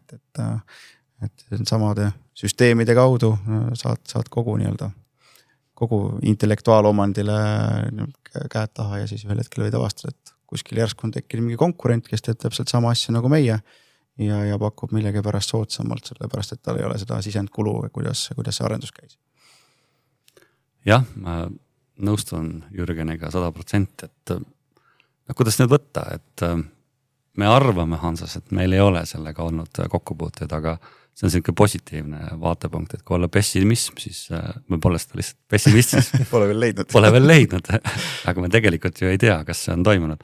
et samade süsteemide kaudu saad kogu intellektuaalomandile käed taha ja siis ühel hetkel võid avastada, et kuskil järsku on tekkinud mingi konkurent, kes teeb täpselt sama asja nagu meie ja pakub millegi pärast soodsamalt, sellepärast, et tal ei ole seda sisendkulu, kuidas see arendus käis. Jah, ma nõustun Jürgeniga 100%, et kuidas nüüd võtta, et me arvame Hansas, et meil ei ole sellega olnud kokkupuuteid, aga see on selline positiivne vaatepunkt, et kui olla pessimism, siis me pole seda lihtsalt pessimistis. Pole veel leidnud, aga me tegelikult ju ei tea, kas see on toimunud.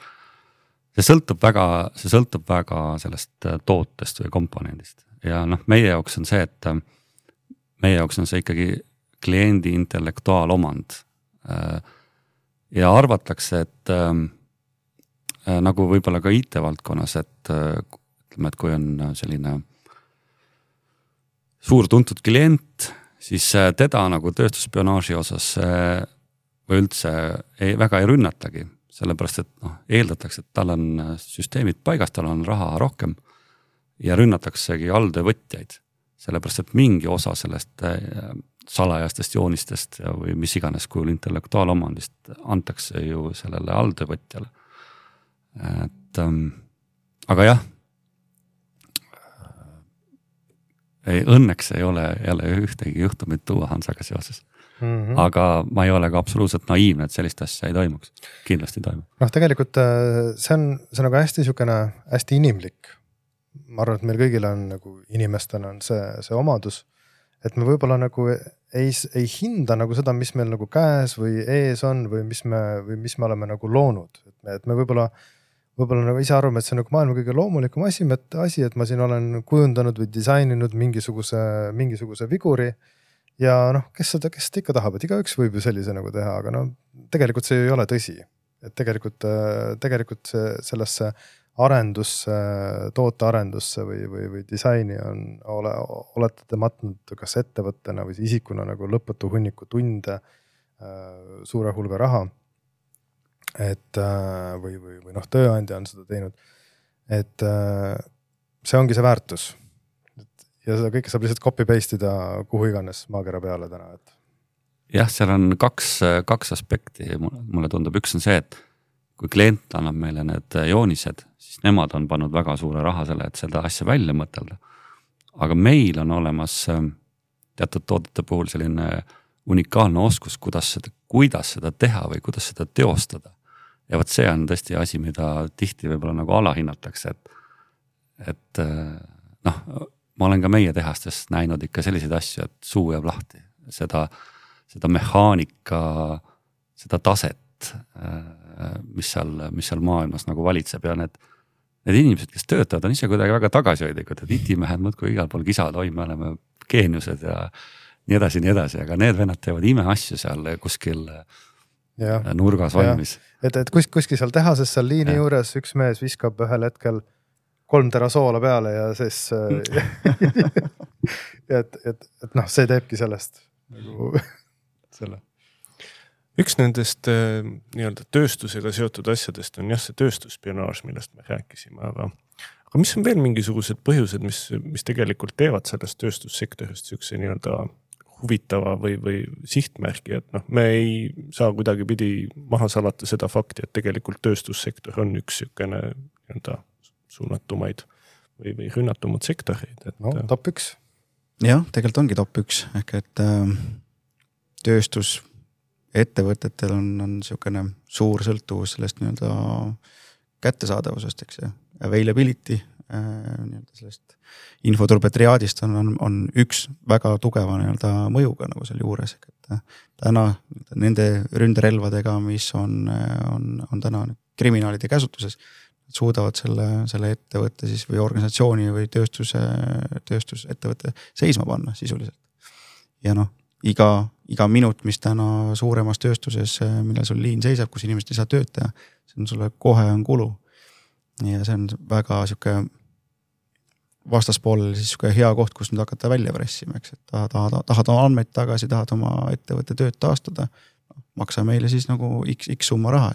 See sõltub väga sellest tootest või komponendist ja meie jaoks on see, et meie jaoks on see ikkagi kliendi intellektuaalomand ja arvatakse, et nagu võib-olla ka IT-valdkonnas, et ütleme, et kui on selline suur tuntud klient, siis teda nagu tööstusspionaaži osas või üldse väga ei rünnatagi, sellepärast, et eeldatakse, et tal on süsteemid paigas, tal on raha rohkem ja rünnataksegi alltöövõtjaid, sellepärast, et mingi osa sellest salajastest joonistest või mis iganes kujul intellektuaalomandist antakse ju sellele alltöövõtjale. Aga jah, õnneks ei ole jälle ühtegi juhtumit tuua Hansaga seoses. Aga ma ei ole ka absoluutselt naiivne, et sellist asja ei toimuks. Kindlasti toimub. Tegelikult see on nagu hästi inimlik. ma arvan, et meil kõigil on nagu inimestena on see omadus, et me võib-olla nagu ei hinda nagu seda, mis meil nagu käes või ees on või mis me oleme nagu loonud. Et me võib-olla nagu ise arvame, et see on nagu maailma kõige loomulikum asi, et ma siin olen kujundanud või disaininud mingisuguse viguri ja kes seda ikka tahab, et igaüks võib ju sellise nagu teha, aga tegelikult see ei ole tõsi. Et tegelikult sellesse arendusse, tootearendusse või disaini olete te matnud kas ettevõttena või isikuna nagu lõputu hunniku tunde, suure hulga raha, või tööandja on seda teinud, et see ongi see väärtus. Ja seda kõike saab lihtsalt copy-paste ida kuhu iganes maakera peale täna. Jah, seal on kaks aspekti, mulle tundub. Üks on see, et kui klient annab meile need joonised, siis nemad on pannud väga suure raha selle, et seda asja välja mõtelda. Aga meil on olemas teatud toodete puhul selline unikaalne oskus, kuidas seda teha või kuidas seda teostada. Ja võt see on tõesti asi, mida tihti võib-olla nagu alahinnatakse, et ma olen ka meie tehastes näinud ikka selliseid asju, et suu jääb lahti. Seda mehaanika, seda taset, mis seal maailmas nagu valitseb ja need inimesed, kes töötavad, on ise kuidagi väga tagasihoidlikud, et itimehed mõtku igal pool kisad, me oleme geeniused ja nii edasi, aga need vennad teevad imeasju seal kuskil nurgas valmis. Et kuskil seal tehases seal liini juures üks mees viskab ühel hetkel 3 tera soola peale ja siis see teebki sellest nagu selle. Üks nendest nii-öelda tööstusega seotud asjadest on see tööstusspionaaž, millest me rääkisime, aga mis on veel mingisugused põhjused, mis tegelikult teevad sellest tööstussektorist siukse nii-öelda huvitava või sihtmärgi, et me ei saa kuidagi pidi maha salata seda fakti, et tegelikult tööstussektor on üks siukene nii-öelda suunatumaid või rünnatumad sektoreid. Top 1. Jah, tegelikult ongi top 1, ehk et tööstusettevõtetel on siukene suur sõltuvus sellest nii-öelda kättesaadavusest, eks see availability, sellest infoturbetriaadist on üks väga tugeva nii-öelda mõjuga nagu seal juures, et täna nende ründerelvadega, mis on täna kriminaalide käsutuses, suudavad selle ettevõtte siis või organisatsiooni või tööstusettevõtte seisma panna sisuliselt. Ja iga minut, mis täna suuremas tööstuses, millal sul liin seisab, kus inimesed ei saa tööd teha, see on sulle kohe on kulu. Ja see on väga siuke vastaspoolel siis siuke hea koht, kus nüüd hakata välja pressima, eks, et tahad oma andmeid tagasi, tahad oma ettevõtte tööd taastada, maksa meile siis nagu x summa raha.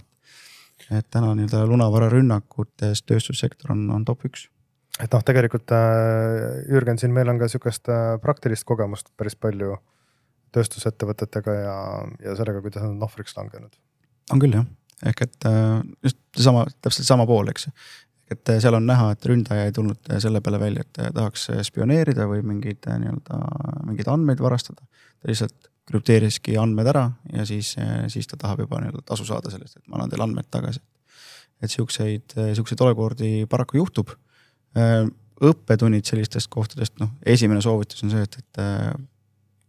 Et täna nii-öelda lunavara rünnakutes tööstussektor on top 1. Et tegelikult Jürgen, siin meil on ka siukest praktilist kogemust päris palju tööstusettevõtetega ja sellega, kuidas on ohvriks langenud. On küll jah, ehk et just täpselt sama pool, eks. Et seal on näha, et ründaja ei tulnud selle peale välja, et tahaks spioneerida või mingeid andmeid varastada. Ta lihtsalt krüpteeriski andmed ära ja siis ta tahab juba tasu saada sellest, et ma annan teile andmed tagasi. Et siukseid olukordi paraku juhtub. Õppetunnid sellistest kohtadest, esimene soovitus on see, et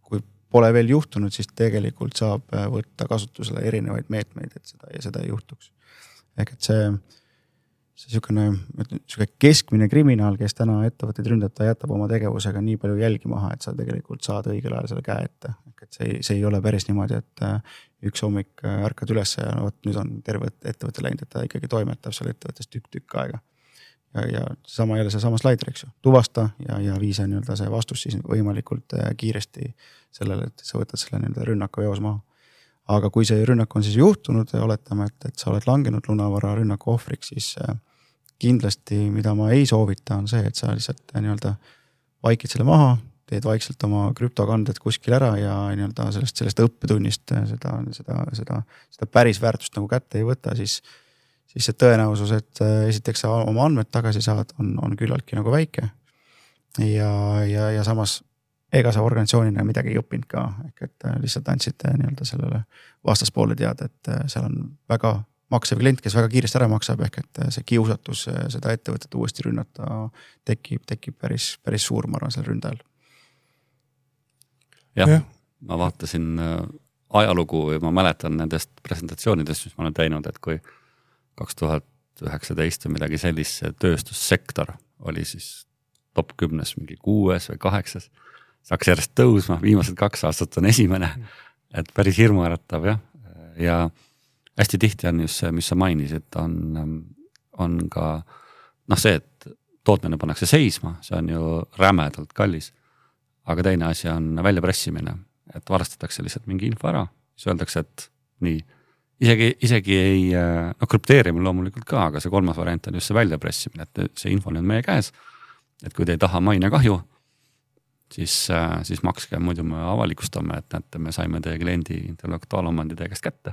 kui pole veel juhtunud, siis tegelikult saab võtta kasutusele erinevaid meetmeid, et seda ei juhtuks. Ehk et see keskmine kriminaal, kes täna ettevõtteid ründab, ta jätab oma tegevusega nii palju jälgi maha, et sa tegelikult saad õigel ajal selle käe ette. Et see ei ole päris niimoodi, et üks hommik ärkad üles ja nüüd on terve ettevõtte läinud, et ta ikkagi toimetab seal ettevõttes tükk aega. Ja seesama slaider, eks ju, tuvasta ja viisa nii-öelda see vastus siis võimalikult kiiresti sellele, et sa võtad selle nii-öelda rünnaku eos maha. Aga kui see rünnak on siis juhtunud ja oletame, et sa oled langenud lunavara rünnaku ohvriks, siis kindlasti, mida ma ei soovita, on see, et sa lihtsalt nii-öelda vaikid selle maha, teed vaikselt oma krüptokanded kuskil ära ja nii-öelda sellest õppetunnist seda päris väärtust nagu kätte ei võta, siis see tõenäosus, et esiteks sa oma andmed tagasi saad, on küllaltki nagu väike. Ja samas ega sa organisatsioonina midagi ei õppinud ka, ehk et lihtsalt andsid nii-öelda sellele vastaspoole teada, et seal on väga maksev klient, kes väga kiiresti ära maksab, ehk et see kiusatus seda ettevõtet uuesti rünnata tekib päris suur, ma arvan, selle ründajal. Jah, ma vaatasin ajalugu ja ma mäletan nendest presentatsioonidest, mis ma olen teinud, et kui 2019 või midagi sellist, see tööstussektor oli siis top 10 mingi 6 või 8, saaks järjest tõusma, viimased 2 aastat on esimene, et päris hirmuäratav jah. Ja hästi tihti on just see, mis sa mainisid, on ka see, et tootmine pannakse seisma, see on ju rämedalt kallis, aga teine asi on väljapressimine, et varastatakse lihtsalt mingi info ära, siis öeldakse, et nii, isegi ei, krüpteerimine loomulikult ka, aga see 3. variant on just see väljapressimine, et see info on meie käes, et kui te ei taha mainekahju, siis makske, muidu me avalikustame, et näete, me saime teie kliendi intellektuaalomandi teie käest kätte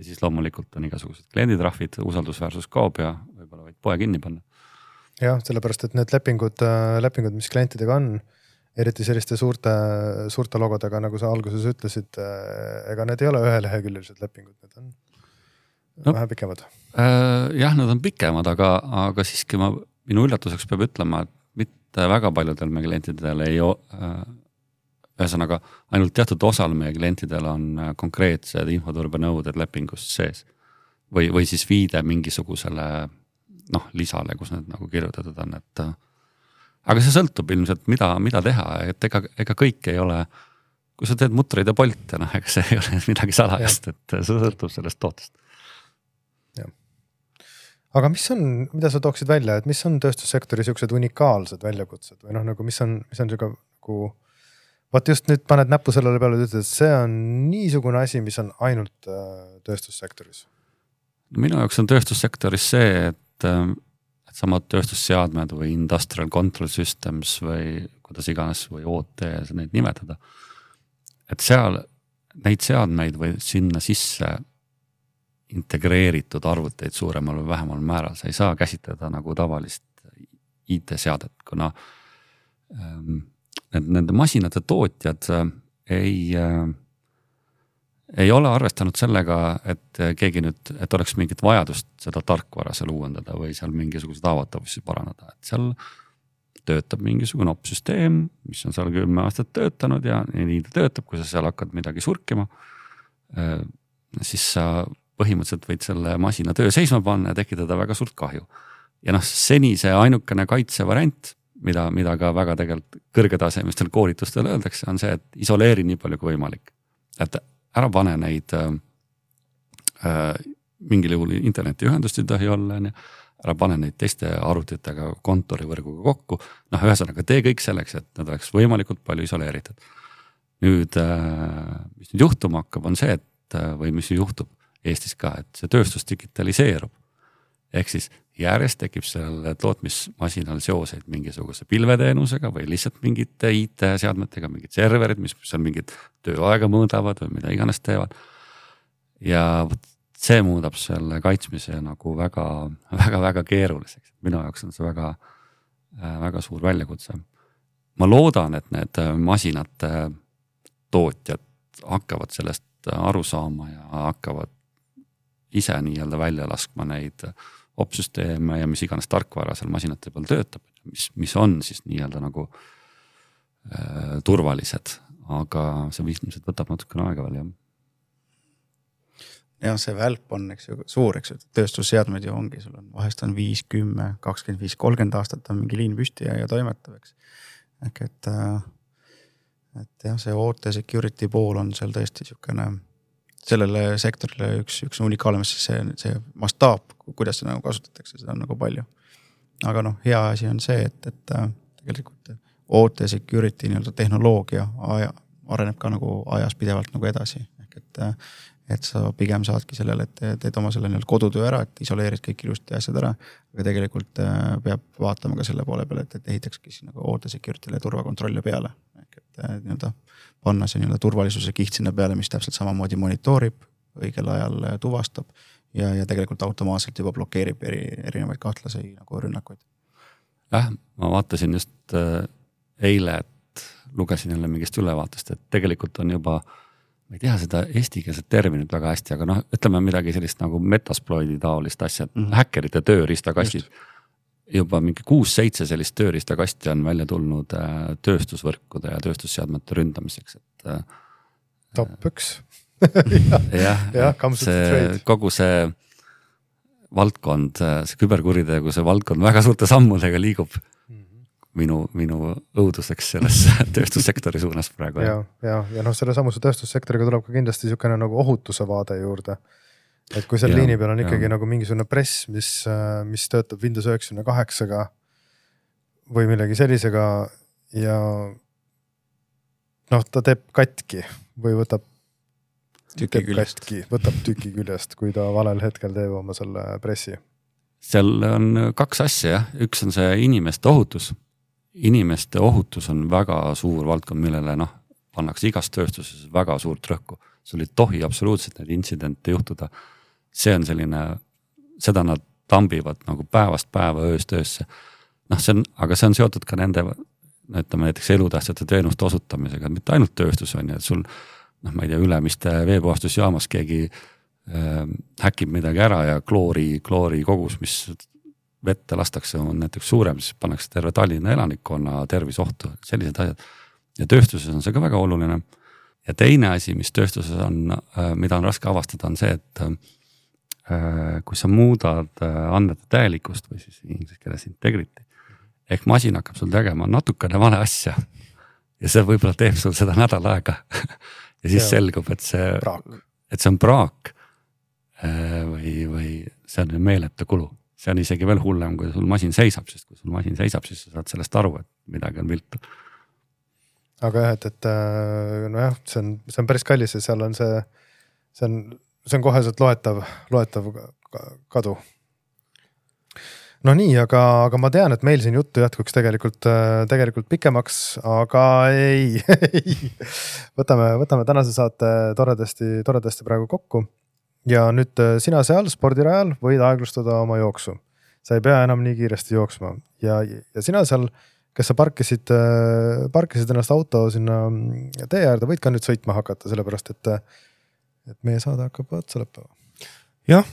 ja siis loomulikult on igasugused klienditrahvid, usaldusväärsus kaob ja võib-olla võid poe kinni panna. Jah, sellepärast, et need lepingud, mis klientidega on, eriti selliste suurte logodega, nagu sa alguses ütlesid, ega need ei ole üheleheküljelised lepingud, need on vähe pikemad. Jah, need on pikemad, aga siiski minu üllatuseks peab ütlema, et mitte väga paljudel meie klientidel ei ühesõnaga ainult teatud osal meie klientidel on konkreetsed infoturbenõuded lepingust sees või siis viide mingisugusele lisale, kus need nagu kirjutatud on, et aga see sõltub ilmselt, mida teha, et ega kõik ei ole, kui sa teed mutreid ja polte, ega see ei ole midagi salajast, et see sõltub sellest tootest. Jah. Aga mida sa tooksid välja, et mis on tööstussektori siuksed unikaalsed väljakutsed või nagu mis on siuke nagu vaat just nüüd paned näppu sellele peale, et ütled, et see on niisugune asi, mis on ainult tööstussektoris. Minu jaoks on tööstussektoris see, et samad tööstusseadmed või industrial control systems või kuidas iganes või OT neid nimetada. Et seal neid seadmeid või sinna sisse integreeritud arvuteid suuremal või vähemal määral. Sa ei saa käsitleda nagu tavalist IT-seadet, kuna nende masinate tootjad ei ole arvestanud sellega, et keegi nüüd, et oleks mingit vajadust seda tarkvara seal uuendada või seal mingisugused haavatavusi parandada. Et seal töötab mingisugune opsüsteem, mis on seal 10 aastat töötanud ja nii ta töötab, kui sa seal hakkad midagi surkima, siis sa põhimõtteliselt võid selle masina töö seisma panna ja tekitada väga suurt kahju. Ja seni see ainukene kaitsevariant, mida ka väga tegelikult kõrgetasemistel koolitustel öeldakse, on see, et isoleeri nii palju kui võimalik. Et ära pane neid mingil juhul internetiühendust ei tohi olla, ära pane neid teiste arvutitega kontorivõrguga kokku. Ühesõnaga tee kõik selleks, et nad oleks võimalikult palju isoleeritud. Nüüd, mis nüüd juhtuma hakkab, on see, või mis juhtub Eestis ka, et see tööstus digitaliseerub. Ehk siis järjest tekib selle tootmismasinal seoseid mingisuguse pilveteenusega või lihtsalt mingite IT-seadmetega, mingid serverid, mis seal mingid tööaega mõõdavad või mida iganes teevad. Ja see muudab selle kaitsmise nagu väga keeruliseks. Minu jaoks on see väga suur väljakutse. Ma loodan, et need masinate tootjad hakkavad sellest aru saama ja hakkavad ise nii-öelda välja laskma neid opsüsteeme ja mis iganes tarkvara seal masinate peal töötab, mis on siis nii-öelda nagu turvalised, aga see ilmselt võtab natukene aega veel, jah. Ja see välp on suur, tööstusseadmed ju ongi, sul on vahest on 5, 10, 25, 30 aastat on mingi liin püsti ja toimetav, eks. Ehk et jah, see OT security pool on seal tõesti niisugune sellele sektorile üks unikaalne, see mastaap, kuidas seda nagu kasutatakse, seda on nagu palju. Aga hea asi on see, et tegelikult OT security tehnoloogia areneb ka nagu ajas pidevalt nagu edasi. Ehk et sa pigem saadki sellele, et teed oma selle kodutöö ära, et isoleerid kõik ilusti asjad ära, aga tegelikult peab vaatama ka selle poole peale, et ehitakski nagu OT security'le turvakontrolle peale. Ehk et panna see turvalisuse kiht sinna peale, mis täpselt samamoodi monitoorib, õigel ajal tuvastab ja tegelikult automaatselt juba blokeerib erinevaid kahtlasi nagu rünnakuid. Ma vaatasin just eile, et lugesin jälle mingist ülevaatest, et tegelikult on juba ma ei tea seda eestikeelset terminit väga hästi, aga noh, ütleme midagi sellist nagu metasploidi taolist asja, häkkerite tööriistakastid. Juba mingi 6-7 sellist tööriistakasti on välja tulnud tööstusvõrkude ja tööstusseadmete ründamiseks, et top 1. kogu see valdkond, see küberkuritegu, see valdkond väga suurte sammudega liigub minu õuduseks selles tööstussektori suunas praegu. Ja noh, selle samuse tööstussektoriga tuleb ka kindlasti niisugune nagu ohutuse vaade juurde. Et kui seal liini peal on ikkagi nagu mingisugune press, mis töötab Windows 98-ga või millegi sellisega ja noh, ta teeb katki või võtab tüki küljest, kui ta valel hetkel teeb oma selle pressi. Seal on 2 asja, jah. Üks on see inimeste ohutus. Inimeste ohutus on väga suur valdkond, millele pannakse igas tööstuses väga suurt rõhku. Sul ei tohi absoluutselt neid intsidente juhtuda. See on selline, seda nad tambivad nagu päevast päeva ööst öösse. Aga see on seotud ka nende, ütleme näiteks elutähtsate teenuste osutamisega, mitte ainult tööstus on, et sul ma ei tea, ülemiste veepuhastusjaamas keegi häkib midagi ära ja kloori kogus, mis vette lastakse, on näiteks suurem, siis pannakse terve Tallinna elanikkonna tervisohtu, sellised asjad. Ja tööstuses on see ka väga oluline. Ja teine asi, mis tööstuses on, mida on raske avastada, on see, et kui sa muudad andmete täielikust või siis inglise keeles integrity, ehk masin hakkab sul tegema natukene vale asja ja see võib-olla teeb sul seda nädal aega ja siis selgub, et see on praak või see on meeletu kulu. See on isegi veel hullem, kui sul masin seisab, sest kui sul masin seisab, siis sa saad sellest aru, et midagi on viltu. Aga jah, et nojah, see on päris kallis ja seal on see on koheselt loetav kadu. No nii, aga ma tean, et meil siin juttu jätkuks tegelikult pikemaks, aga ei. Võtame tänase saate toredasti praegu kokku. Ja nüüd sina seal spordirajal võid aeglustada oma jooksu. Sa ei pea enam nii kiiresti jooksma. Ja sina seal, kes sa parkisid ennast auto sinna tee äärde, võid ka nüüd sõitma hakata, sellepärast, et meie saade hakkab otsa lõppema. Jah,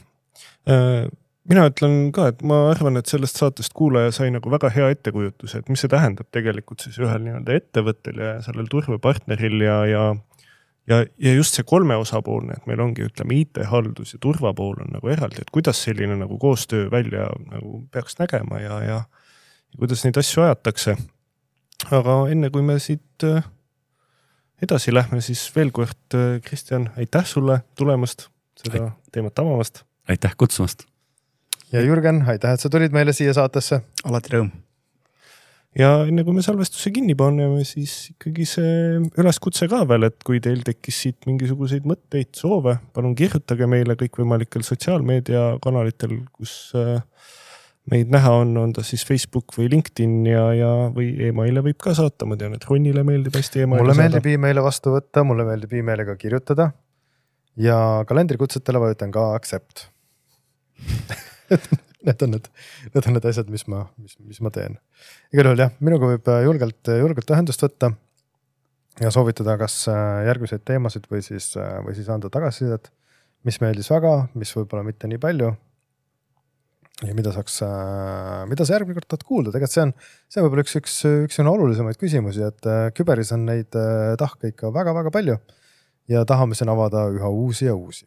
mina ütlen ka, et ma arvan, et sellest saatest kuulaja sai nagu väga hea ettekujutus, et mis see tähendab tegelikult siis ühel nii-öelda ettevõttel ja sellel turvapartneril ja just see 3 osapoolne, et meil ongi, ütleme, IT-haldus ja turvapool on nagu eraldi, et kuidas selline nagu koostöö välja nagu peaks nägema ja kuidas neid asju ajatakse. Aga enne kui me siit edasi lähme, siis veel kord, Kristjan, aitäh sulle tulemast, seda teemat avamast. Aitäh kutsumast. Ja Jürgen, aitäh, et sa tulid meile siia saatesse. Alati rõõm. Ja enne kui me salvestuse kinni paneme, siis ikkagi see üleskutse ka veel, et kui teil tekkis siit mingisuguseid mõtteid, soove, palun kirjutage meile kõikvõimalikel sotsiaalmeediakanalitel, kus meid näha on ta siis Facebook või LinkedIn või emaile võib ka saata. Ma tean, et Ronnile meeldib hästi emaile saada. Mulle meeldib emaile vastu võtta, mulle meeldib emailiga kirjutada ja kalendrikutsetele vajutan ka accept. Need on need asjad, mis ma teen. Igal juhul jah, minuga võib julgelt ühendust võtta ja soovitada kas järgmiseid teemasid või siis anda tagasisidet, mis meeldis väga, mis võib-olla mitte nii palju. Ja mida sa järgmine kord tahad kuulda? Tegelikult see on võib-olla üks olulisemaid küsimusi, et küberis on neid tahke ikka väga-väga palju ja tahame siin avada üha uusi ja uusi.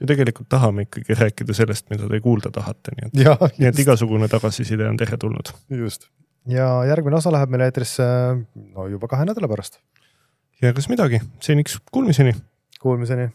Ja tegelikult tahame ikkagi rääkida sellest, mida te kuulda tahate. Nii et igasugune tagasiside on teretulnud. Just. Ja järgmine osa läheb meil eetrisse juba 2 nädala pärast. Ja kas midagi? Seniks kuulmiseni. Kuulmiseni.